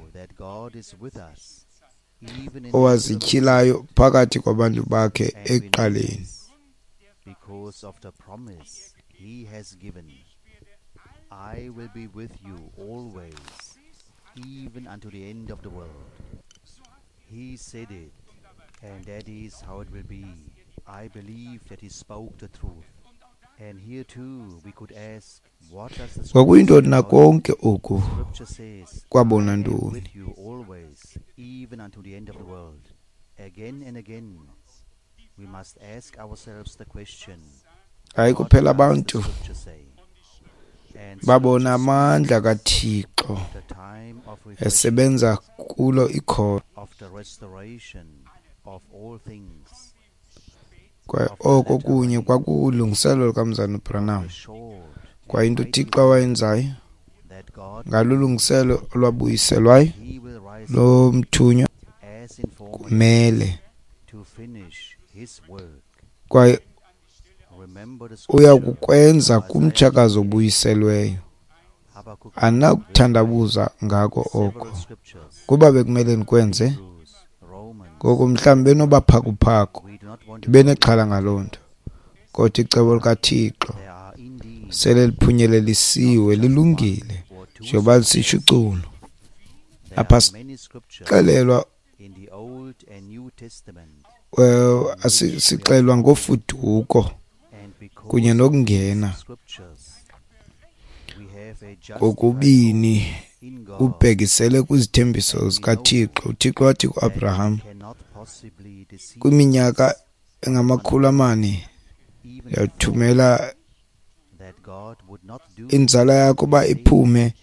Speaker 2: owazityhilayo phakathi kwabantu bakhe ekuqaleni.
Speaker 1: Because of the promise he has given, I will be with you always, even unto the end of the world. He said it, and that is how it will be. I believe that he spoke the truth. And here too we could ask, what does the scripture
Speaker 2: Kwakuyintoni
Speaker 1: say
Speaker 2: na
Speaker 1: about it?
Speaker 2: konke oku
Speaker 1: Scripture says,
Speaker 2: kwabona
Speaker 1: I am
Speaker 2: ntoni?
Speaker 1: with you always, even unto the end of the world. Again and again, we must ask ourselves the question,
Speaker 2: Hayi
Speaker 1: what
Speaker 2: kuphela
Speaker 1: does the
Speaker 2: abantu
Speaker 1: scripture say? And
Speaker 2: babona
Speaker 1: scripture
Speaker 2: amandla
Speaker 1: speaks
Speaker 2: kaThixo
Speaker 1: of the time of refreshing,
Speaker 2: esebenza kulo ikholwa.
Speaker 1: of the restoration of all things,
Speaker 2: Kwaye
Speaker 1: of the
Speaker 2: oko
Speaker 1: latter
Speaker 2: kunye
Speaker 1: rain,
Speaker 2: kwakulungiselelo lukaMzalwana
Speaker 1: of
Speaker 2: uBranham.
Speaker 1: the short
Speaker 2: Kwaye
Speaker 1: and
Speaker 2: into
Speaker 1: mighty
Speaker 2: uThixo awayenzayo
Speaker 1: that God
Speaker 2: ngalulungiselo olwabuyiselwayo
Speaker 1: he will rise up
Speaker 2: lomthunywa
Speaker 1: as in former
Speaker 2: kumele
Speaker 1: to finish his work.
Speaker 2: kwaye
Speaker 1: Remember the
Speaker 2: uya
Speaker 1: scripture
Speaker 2: kukwenza
Speaker 1: Isaiah
Speaker 2: kumtshakazi obuyiselweyo.
Speaker 1: Habakkuk
Speaker 2: Andinakuthandabuza ngako
Speaker 1: several
Speaker 2: oko
Speaker 1: scriptures,
Speaker 2: kuba bekumele ndikwenze.
Speaker 1: Hebrews, Romans.
Speaker 2: Ngoku mhlawumbi benobaphakuphaku
Speaker 1: We do not want to
Speaker 2: ndibe nexhala ngaloo nto, kodwa icebo likaThixo
Speaker 1: There are indeed
Speaker 2: sele liphunyelelisiwe lilungile
Speaker 1: or two
Speaker 2: njengoba lisitsho iculo.
Speaker 1: There
Speaker 2: Apha
Speaker 1: are many scriptures
Speaker 2: sixelelwa
Speaker 1: in the Old and New Testament,
Speaker 2: eh, asi- sixelelwa ngofuduko
Speaker 1: and because
Speaker 2: kunye
Speaker 1: of
Speaker 2: nokungena
Speaker 1: these scriptures, we have a justified
Speaker 2: kokubini
Speaker 1: hope in God
Speaker 2: kubhekisele kwizithembiso zikaThixo. UThixo wathi kuAbraham
Speaker 1: that cannot possibly deceive
Speaker 2: kwiminyaka engamakhulu amane
Speaker 1: even
Speaker 2: ndiyathumela
Speaker 1: that God would not do
Speaker 2: inzala yakho uba iphume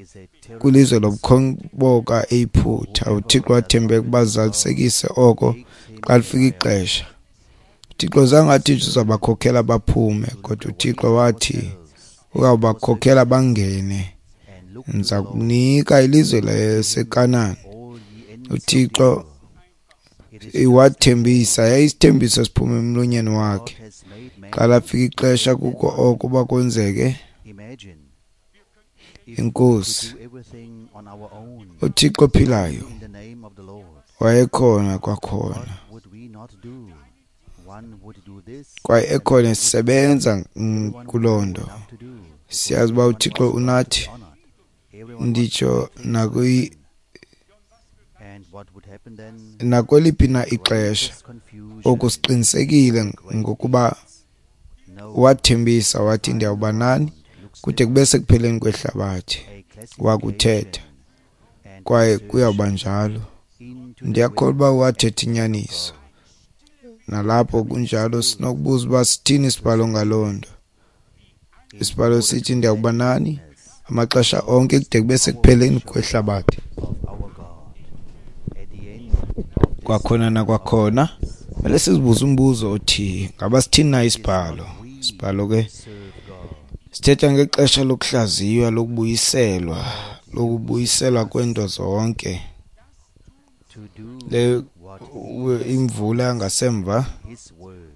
Speaker 1: is a terrible
Speaker 2: kwilizwe lobukhoboka eYiputa. UThixo wathembeka ukuba azalisekise oko xa lifika ixesha. UThixo zange athi uzawubakhokhela baphume, kodwa uThixo wathi uzawubakhokhela bangene,
Speaker 1: and look to
Speaker 2: ndiza
Speaker 1: the Lord,
Speaker 2: kunika ilizwe laseKanani.
Speaker 1: all ye ends of the
Speaker 2: uThixo
Speaker 1: earth. It is
Speaker 2: wathembisa, yayisithembiso esiphuma emlonyeni
Speaker 1: God
Speaker 2: wakhe.
Speaker 1: has made man
Speaker 2: Xa lafika ixesha kuko oko uba kwenzeke,
Speaker 1: imagine if we could
Speaker 2: inkosi
Speaker 1: do everything on our own
Speaker 2: uThixo ophilayo
Speaker 1: in the name of the Lord.
Speaker 2: wayekhona kwakhona
Speaker 1: What would we not do? One would do this,
Speaker 2: kwaye
Speaker 1: and
Speaker 2: ekhona
Speaker 1: one would
Speaker 2: esebenza mm,
Speaker 1: everyone
Speaker 2: kuloo
Speaker 1: would
Speaker 2: nto.
Speaker 1: have enough to do because
Speaker 2: Siyazi uba
Speaker 1: everyone
Speaker 2: uThixo
Speaker 1: wants God to be
Speaker 2: unathi.
Speaker 1: honored. Everyone wants
Speaker 2: Nditsho
Speaker 1: to please
Speaker 2: nakwi
Speaker 1: man. And what would happen then?
Speaker 2: nakweliphi na ixesha
Speaker 1: Greatest confusion,
Speaker 2: oku siqinisekile ngokuba
Speaker 1: great no
Speaker 2: wathembisa wathi ndiyawuba nani
Speaker 1: looks
Speaker 2: kude kube sekupheleni kwehlabathi.
Speaker 1: a
Speaker 2: Wakuthetha
Speaker 1: classification and
Speaker 2: kwaye
Speaker 1: research
Speaker 2: kuyawuba njalo.
Speaker 1: into the
Speaker 2: Ndiyakholwa
Speaker 1: will
Speaker 2: uba wathetha inyaniso.
Speaker 1: God.
Speaker 2: Nalapho kunjalo sinokubuza uba sithini isibhalo ngaloo nto.
Speaker 1: In
Speaker 2: Isibhalo
Speaker 1: order
Speaker 2: sithi
Speaker 1: to
Speaker 2: ndiyawuba nani
Speaker 1: witness
Speaker 2: amaxesha onke kude kube sekupheleni kwehlabathi.
Speaker 1: of our God at the end of this
Speaker 2: Kwakhona nakwakhona kumele sizibuze umbuzo othi ngaba sithini na isibhalo. Isibhalo ke
Speaker 1: serve God.
Speaker 2: sithetha ngexesha lokuhlaziywa, lokubuyiselwa, lokubuyiselwa kweento zonke.
Speaker 1: To do
Speaker 2: Le
Speaker 1: what
Speaker 2: imvula yangasemva
Speaker 1: his word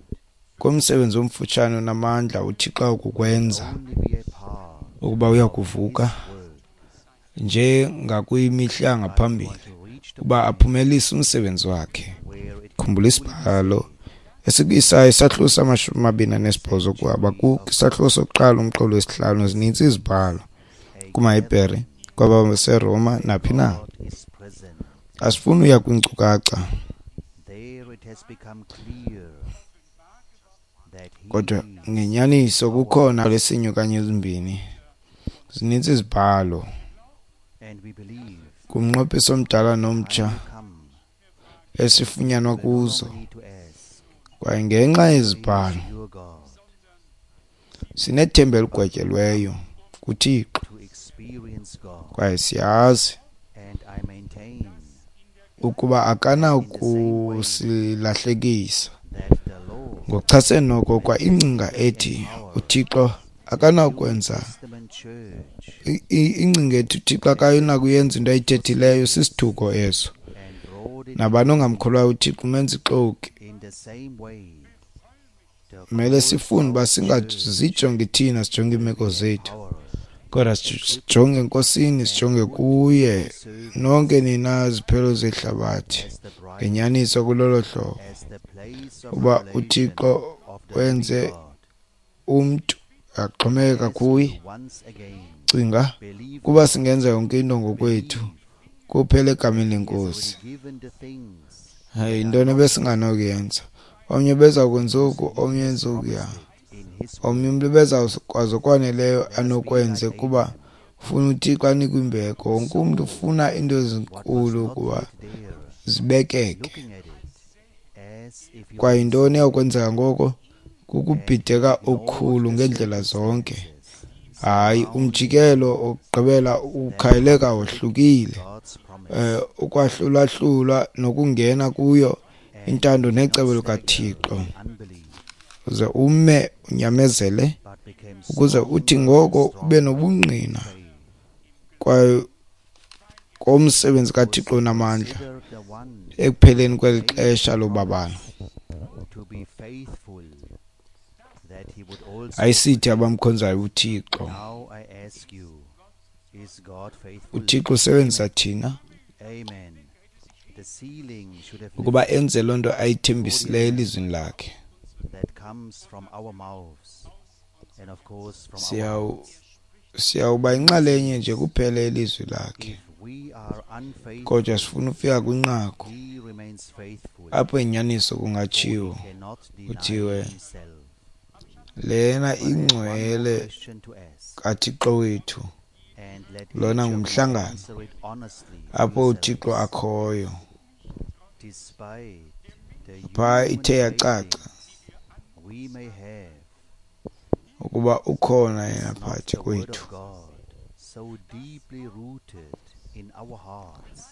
Speaker 2: komsebenzi omfutshane onamandla uThixo akukwenza
Speaker 1: only be a part
Speaker 2: ukuba uyakuvuka
Speaker 1: his word.
Speaker 2: njengakwimihla yangaphambili
Speaker 1: Want to reach the
Speaker 2: uba aphumelise umsebenzi wakhe.
Speaker 1: where it
Speaker 2: Khumbula isibhalo esikuIsaya isahluko samashumi amabini anesibhozo kuHabakuki isahluko sokuqala umqolo wesihlanu. Zinintsi izibhalo kumaHebhere, kwabaseRoma naphi na.
Speaker 1: God is present.
Speaker 2: Asifuni uya kwiinkcukacha
Speaker 1: There it has become clear that he
Speaker 2: kodwa
Speaker 1: is
Speaker 2: ngenyaniso kukhona lesinye okanye ezimbini. Zinintsi izibhalo
Speaker 1: and we believe
Speaker 2: kumnqophiso omdala nomtsha
Speaker 1: time will come
Speaker 2: esifunyanwa
Speaker 1: we no longer
Speaker 2: kuzo
Speaker 1: need to ask
Speaker 2: kwaye ngenxa yezibhalo
Speaker 1: is your God
Speaker 2: sinethemba eligwetyelweyo kuThixo
Speaker 1: to experience God
Speaker 2: kwaye siyazi
Speaker 1: and I maintain
Speaker 2: ukuba akanakusilahlekisa.
Speaker 1: that the Lord
Speaker 2: Ngokuchasene noko kwa ingcinga ethi uThixo akanakwenza
Speaker 1: Testament church
Speaker 2: i- i- ingcinga ethi uThixo akanakuyenza into ayithethileyo sisithuko eso.
Speaker 1: and brought it
Speaker 2: Nabani ongamkholwayo uThixo umenza ixoki.
Speaker 1: in the same way the
Speaker 2: Kumele
Speaker 1: called
Speaker 2: sifunde uba
Speaker 1: out church
Speaker 2: singazijongi thina, sijonge iimeko zethu.
Speaker 1: power
Speaker 2: Kodwa sijonge eNkosini, sijonge kuye, nonke nina ziphelo zehlabathi, ngenyaniso kulolo hlobo uba uThixo wenze umntu axhomekeka kuye. Cinga kuba singenza yonke into ngokwethu kuphela egameni leNkosi. Hey, yintoni ebesinganokuyenza? Omnye beza kwenza oku, omnye enze okuya. Omnye umntu bezawukwazi okwaneleyo anokwenze kuba ufuna uThixo anikwe imbeko. Wonke umntu ufuna iinto ezinkulu ukuba zibekeke. Kwaye yintoni eyakwenzeka ngoko? Kukubhideka okukhulu ngeendlela zonke. Hayi, umjikelo wokugqibela ukhayeleka wohlukile. Eh, ukwahlulahlulwa nokungena kuyo intando necebo likaThixo, uze ume unyamezele ukuze uthi ngoko ube nobungqina kwaye komsebenzi kaThixo onamandla ekupheleni kweli xesha lobabalo. Ayisithi abamkhonzayo uThixo. UThixo usebenzisa thina ukuba enze loo nto ayithembisileyo elizwini lakhe. Siyawuba yinxalenye nje kuphela yelizwi lakhe, kodwa sifuna ufika kwinqaku apho inyaniso kungatshiwo kuthiwe lena ingcwele kaThixo wethu, lona ngumhlangano apho uThixo akhoyo. Phaa ithe yacaca ukuba ukhona yena phakathi kwethu,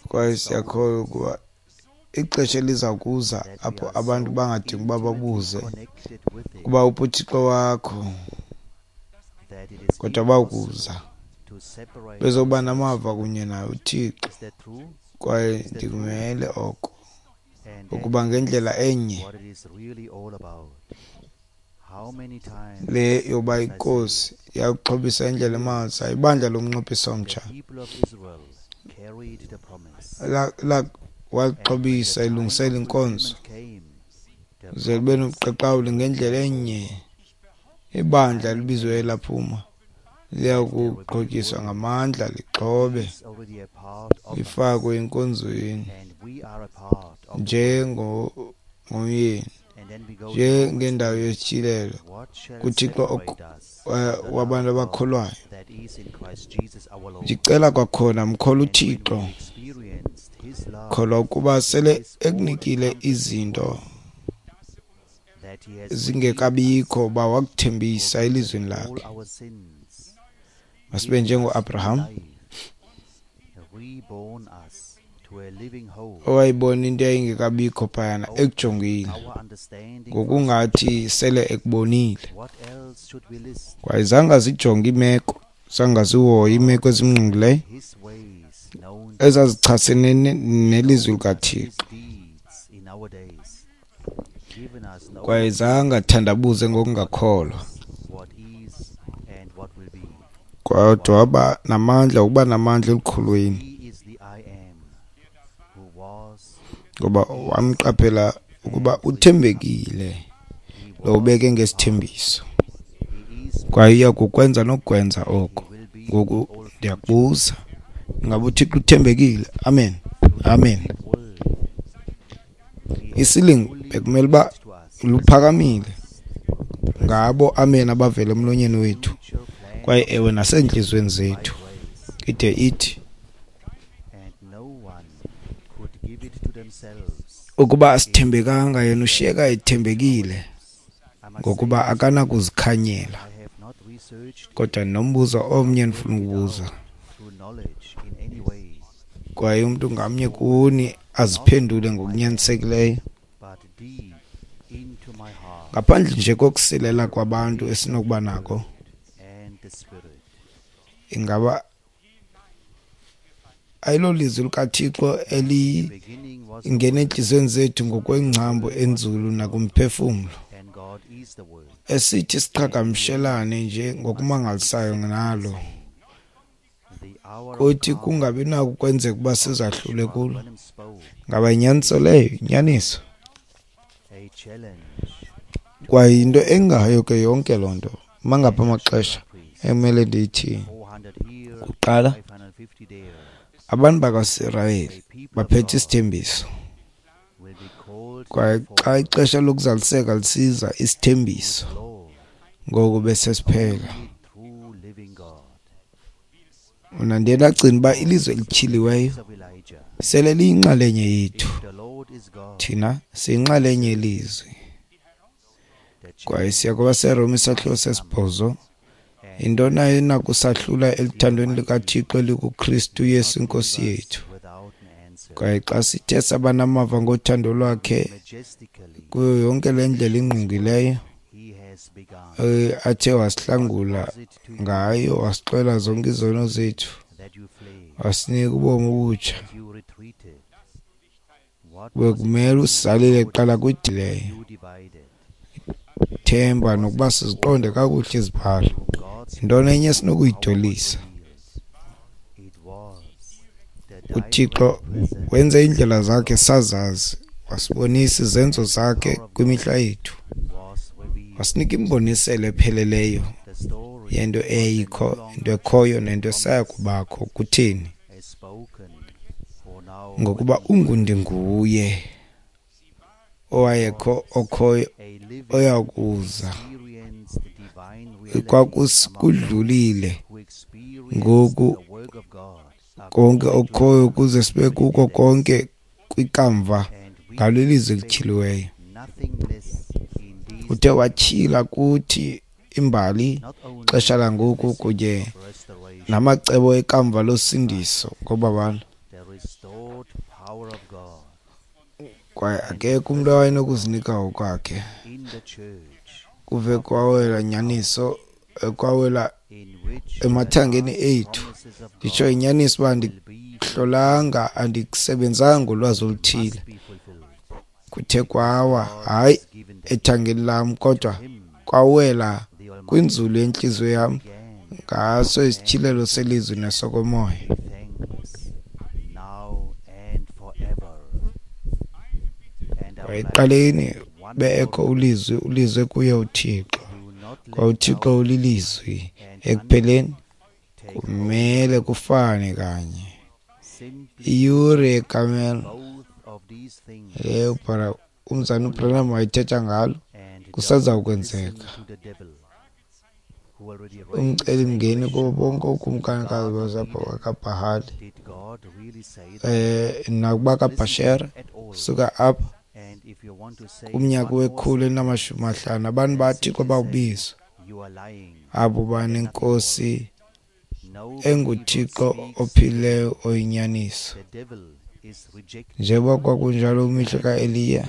Speaker 2: kwaye siyakholwa ukuba ixesha eliza kuza apho abantu bangadingi ukuba babuze ukuba uphi uThixo wakho, kodwa bawukuza bezoba namava kunye naye uThixo. Kwaye ndikumele oko ukuba ngendlela enye le yoba iNkosi yakuxhobisa indlela emangalisayo ibandla lomnqophiso omtsha walixhobisa ilungisela inkonzo ze libe nobuqaqawuli ngendlela enye ibandla libizwe laphuma liyakuxhotyiswa ngamandla lixhobe lifakwe enkonzweni njengomyeni njengendawo yesityhilelo kuThixo wabantu abakholwayo. Ndicela kwakhona mkholwa uThixo, kholwa ukuba sele ekunikile izinto zingekabikho uba wakuthembisa elizwini lakhe. Masibe njengoAbraham owayibona into eyayingekabikho phayana ekujongile ngokungathi sele ekubonile. Kwaye zange azijonge iimeko, zange azihoye iimeko ezimngqongileyo ezazichasene nelizwi likaThixo, kwaye zange athandabuze ngokungakholwa, kodwa waba namandla, ukuba namandla elukhulweni, ngoba wamqaphela ukuba uthembekile lo ubeke ngesithembiso, kwaye uya kukwenza nokukwenza oko. Ngoku ndiyakubuza, ingaba uThixo uthembekile? Amen, amen. Isilingo bekumele uba luphakamile ngabo amen abavela emlonyeni wethu, kwaye ewe naseentliziyweni zethu, ide ithi ukuba asithembekanga, yena ushiyeka ethembekile ngokuba akanakuzikhanyela. Kodwa nombuzo omnye ndifuna ukubuza, kwaye umntu ngamnye kuni aziphendule ngokunyanisekileyo, ngaphandle nje kokusilela kwabantu esinokuba nako, ingaba ayilolizwi likaThixo elingena entliziyweni zethu ngokwengcambu enzulu nakumphefumlo, esithi siqhagamshelane nje ngokumangalisayo nalo Kuthi kungabi nako ukwenzeka uba sizahlule kulo. Ngaba yinyaniso leyo? Yinyaniso. Kwaye yinto engayo ke yonke loo nto. Mangaphi amaxesha ekumele ndithi kuqala, abantu bakwaSirayeli baphethe isithembiso. Kwaye xa ixesha lokuzaliseka lisiza, isithembiso ngoku besesiphela. Mna ndiye ndagcina uba ilizwe elityhiliweyo sele liyinxalenye yethu. Thina siyinxalenye yelizwi. Kwaye siya kwabaseRoma isahluko sesibhozo. Yintoni enakusahlula eluthandweni likaThixo elikuKristu Yesu iNkosi yethu? Kwaye xa sithe saba namava ngothando lwakhe kuyo yonke le ndlela ingqungileyo athe wasihlangula ngayo, wasixolela zonke izono zethu, wasinika ubomi obutsha, bekumele usisalile kuqala kwidileyo themba nokuba siziqonde kakuhle izibhalo. Yintoni enye esinokuyidolisa? UThixo wenze iindlela zakhe sazazi, wasibonisa izenzo zakhe kwimihla yethu, wasinika imboniselo epheleleyo yento eyayikho, into ekhoyo nento esaya kubakho. Kutheni? Ngokuba ungundinguye owayekho, okhoyo, oyakuza. Kwakusikudlulile ngoku konke okhoyo ukuze sibe kuko konke kwikamva ngalo ilizwi elityhiliweyo. Uthe watyhila kuthi imbali, ixesha langoku kunye namacebo ekamva losindiso ngobabalo. Kwaye akekho umntu owayenokuzinika ngokwakhe. Kuve kwawela nyaniso, kwawela emathangeni ethu. Nditsho inyaniso uba andikuhlolanga, andikusebenzanga ngolwazi oluthile. Kuthe kwawa, hayi ethangeni lam, kodwa kwawela kwinzulu yentliziyo yam ngaso isityhilelo selizwi nesokomoya. Ekuqaleni beekho ulizwi, ulizwi kuye uThixo, kwa uThixo ulilizwi. Ekupheleni kumele kufane kanye. Iyure yekamela leyo umzana uBranham wayethetha ngalo kusaza ukwenzeka. Umcelimngeni kubo bonke ookumkanikazi bakaBhahali eh nakuba kaBhashera suka apha kumnyaka wekhulu elinamashumi amahlanu abantu baThixo bawubizwa abo banenkosi enguThixo ophilileyo oyinyaniso. Njengoba kwakunjalo kwimihla kaEliya,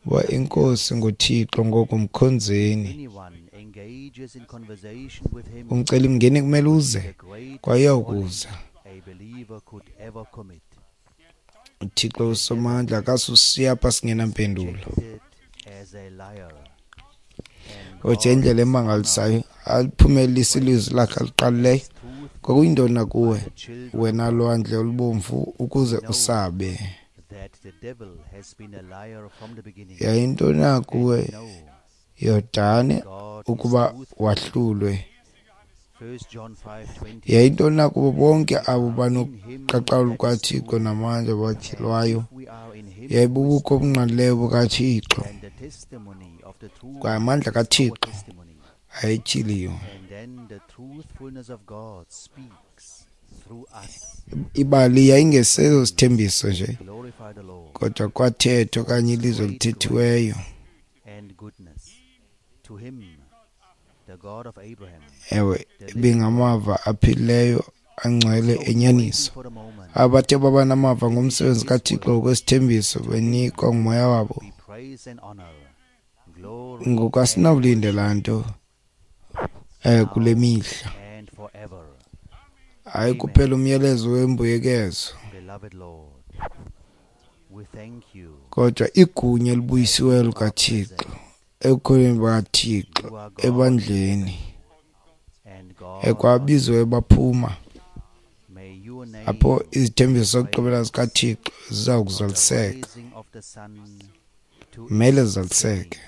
Speaker 2: uba inkosi nguThixo ngoku mkhonzeni. Umcelimngeni kumele uze kwaye uyawukuza. uThixo usomandla akasushiya apha singenampendulo. Kodwa indlela emangalisayo aliphumelelise ilizwi lakhe aliqalileyo. Kwakuyintoni na kuwe, wena lwandle olubomvu, ukuze usabe? Yayintoni na kuwe, Yordane, ukuba wahlulwe? Yayintoni na kubo bonke abo banoqaqawulo lukaThixo namandla batyhilwayo? Yayibubukho obungqalileyo bukaThixo, kwaye amandla kaThixo ayetyhiliwe. Ibali yayingesezo sithembiso nje, kodwa kwathethwa okanye ilizwi elithethiweyo. Ewe, ibingamava aphilileyo angcwele enyaniso. Abathe baba namava ngomsebenzi kaThixo ngokwesithembiso benikwa ngumoya wabo. Ngoku asinawulindela nto eh kule mihla. Hayi kuphela umyalezo wembuyekezo, kodwa igunya elibuyisiweyo likaThixo ebukhoneni bukaThixo ebandleni ekwabizwe baphuma. Apho izithembiso zokugqibela zikaThixo ziza kuzaliseka, kumele zizaliseke,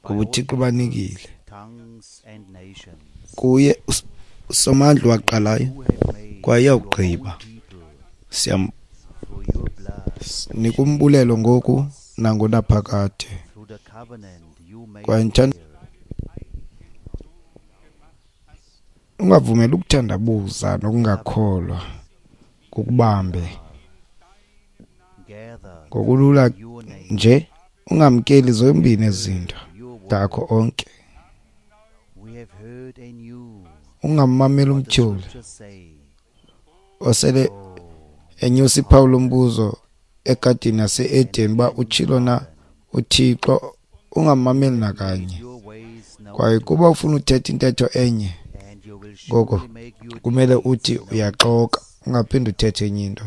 Speaker 2: ngoba uThixo ubanikile. Kuye uSomandla waqalayo kwaye uyawugqiba. Siyanika umbulelo ngoku nangonaphakade. Kwaye ndithanda ungavumeli ukuthandabuza nokungakholwa kukubambe ngokulula nje. Ungamkeli zombini ezi zinto akho onke. Ungammameli umtyholi osele enyusa iphawu lombuzo egadini yase-Eden uba utshilo na uThixo. Ungammameli nakanye. Kwaye kuba ufuna uthetha intetho enye, ngoko kumele uthi uyaxoka, ungaphinde uthethe enye into.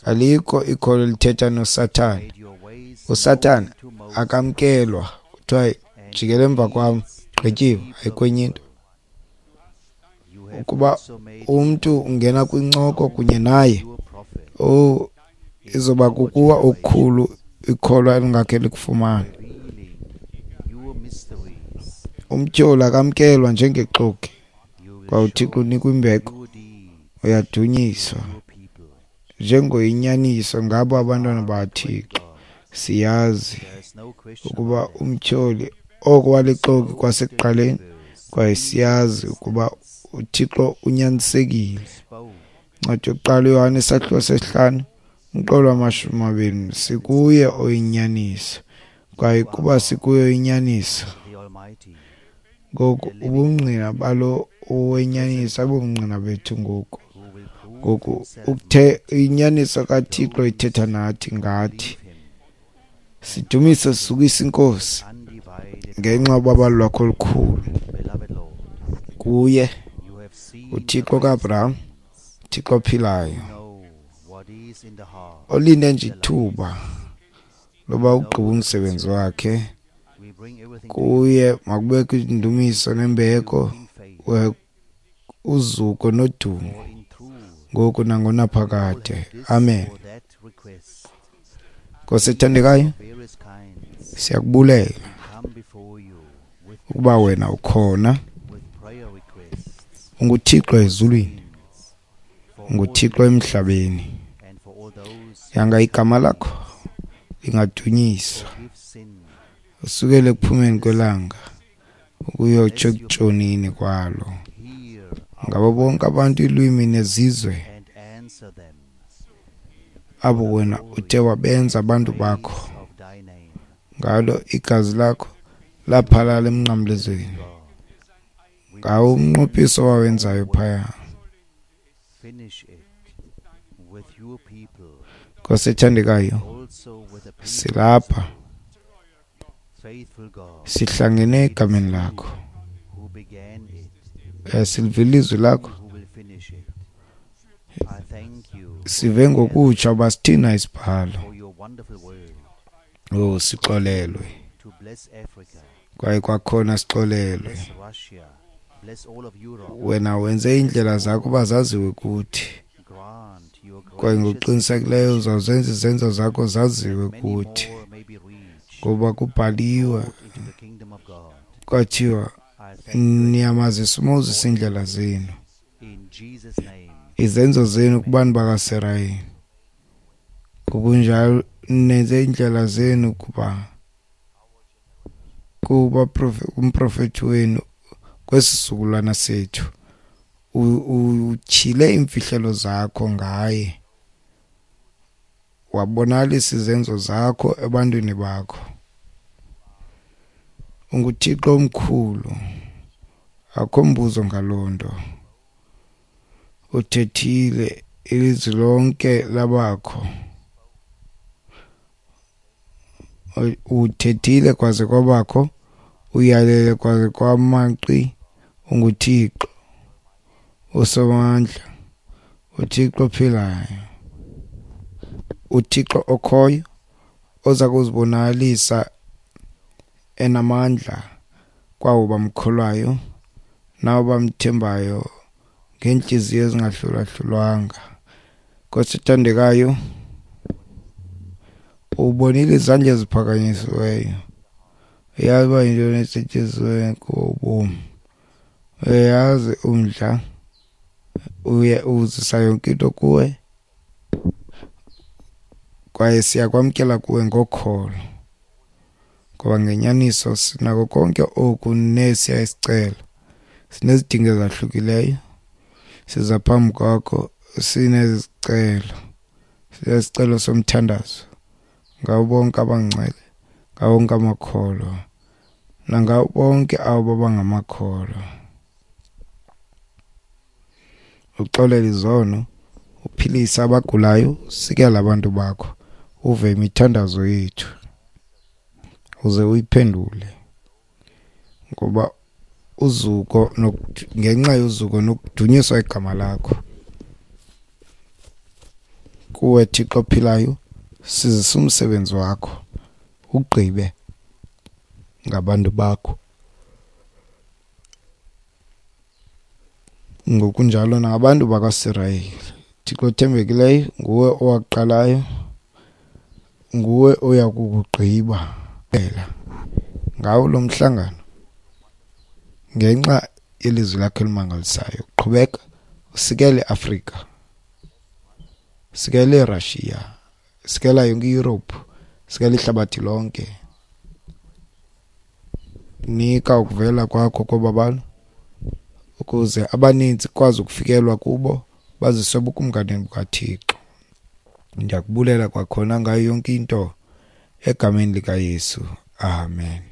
Speaker 2: Alikho ikholo elithetha noSathane. USathane akamkelwa, kuthiwa jikela emva kwam, gqityiwe, ayikho enye into. Ukuba umntu ungena kwincoko kunye naye, oh, izoba kukuwa okukhulu ikholwa elingakhe likufumane. Umtyholi akamkelwa njengexoki, kwaye uThixo unikwa imbeko, uyadunyiswa njengoyinyaniso ngabo abantwana bakaThixo. Siyazi ukuba umtyholi oko walixoki kwasekuqaleni, kwaye siyazi ukuba uThixo unyanisekile. Incwadi yokuqala uYohane isahluko sesihlanu umqolo wamashumi amabini, sikuye oyinyaniso, kwaye kuba sikuye oyinyaniso, ngoku ubungqina balo owenyaniso abungqina bethu ngoku. Ngoku ukuthe inyaniso kaThixo ithetha nathi ngathi. Sidumise sisukisa iNkosi ngenxa yobabalo lwakho olukhulu. Kuye uThixo kaAbraham, uThixo ophilayo, olinde nje ithuba loba ugqiba umsebenzi wakhe. Kuye makubekho indumiso nembeko, uzuko nodumo, ngoku nangonaphakade. Amen. Nkosi ethandekayo, siyakubulela ukuba wena ukhona. UnguThixo ezulwini, unguThixo emhlabeni. Yanga igama lakho lingadunyiswa usukele ekuphumeni kwelanga ukuyotsho ekutshoneni kwalo, ngabo bonke abantu, iilwimi nezizwe, abo wena uthe wabenza abantu bakho. Ngalo igazi lakho laphalala emnqamlezweni, ngawo umnqophiso owawenzayo phaya. Nkosi ethandekayo, silapha sihlangene egameni lakho, silivile ilizwi lakho, sive ngokutsha uba sithina isibhalo. Oh, sixolelwe, kwaye kwakhona sixolelwe. Wena wenze iindlela zakho uba zaziwe kuthi, kwaye ngokuqinisekileyo uzawuzenza izenzo zakho zaziwe kuthi, ngoba kubhaliwe kwathiwa niyamazisa uMoses iindlela zenu, izenzo zenu kubantu bakaSirayeli. Ngokunjalo nenze iindlela zenu kuba kuba kumprofethi wenu kwesisukulwana sethu. Utyhile iimfihlelo zakho ngaye, wabonakalisa izenzo zakho ebantwini bakho. UnguThixo omkhulu, akho mbuzo ngaloo nto. Uthethile, ilizwi lonke labakho. Uthethile kwaze kwabakho, uyalele kwaze kwamanqi. UnguThixo uSomandla, uThixo ophilayo, uThixo okhoyo, oza kuzibonakalisa enamandla kwabo bamkholwayo nabo bamthembayo ngeentliziyo ezingahlulahlulwanga. Nkosi ethandekayo, ubonile izandla eziphakanyisiweyo, uyazi uba yintoni esetyenzisiweyo kuwo ubomi, uyazi umdla, uye uzisa yonke into kuwe, kwaye siyakwamkela kuwe ngokholo, ngoba ngenyaniso sinako konke oku nesiya isicelo. Sinezidingo ezahlukileyo, siza phambi kwakho sinezicelo, sinesicelo somthandazo ngabo bonke abangcwele, ngabo bonke amakholwa, nangabo bonke abo bangamakholwa. Uxolele izono, uphilise abagulayo, usikele abantu bakho, uve imithandazo yethu, uze uyiphendule, ngoba uzuko ngenxa yozuko nokudunyiswa igama lakho. Kuwe Thixo ophilayo, sizisa umsebenzi wakho, ugqibe ngabantu bakho, ngokunjalo nangabantu bakwaSirayeli. Thixo othembekileyo, nguwe owaqalayo, nguwe oya kukugqiba ngawo lo mhlangano, ngenxa yelizwi lakho elimangalisayo. Qhubeka usikele iAfrika, usikele iRussia, usikela yonke iYurophu, usikela ihlabathi lonke. Nika ukuvela kwakho kobabalo, ukuze abaninzi kwazi ukufikelwa kubo, baziswe ebukumkanini bukaThixo. Ndiyakubulela kwakhona ngayo yonke into, egameni likaYesu, amen.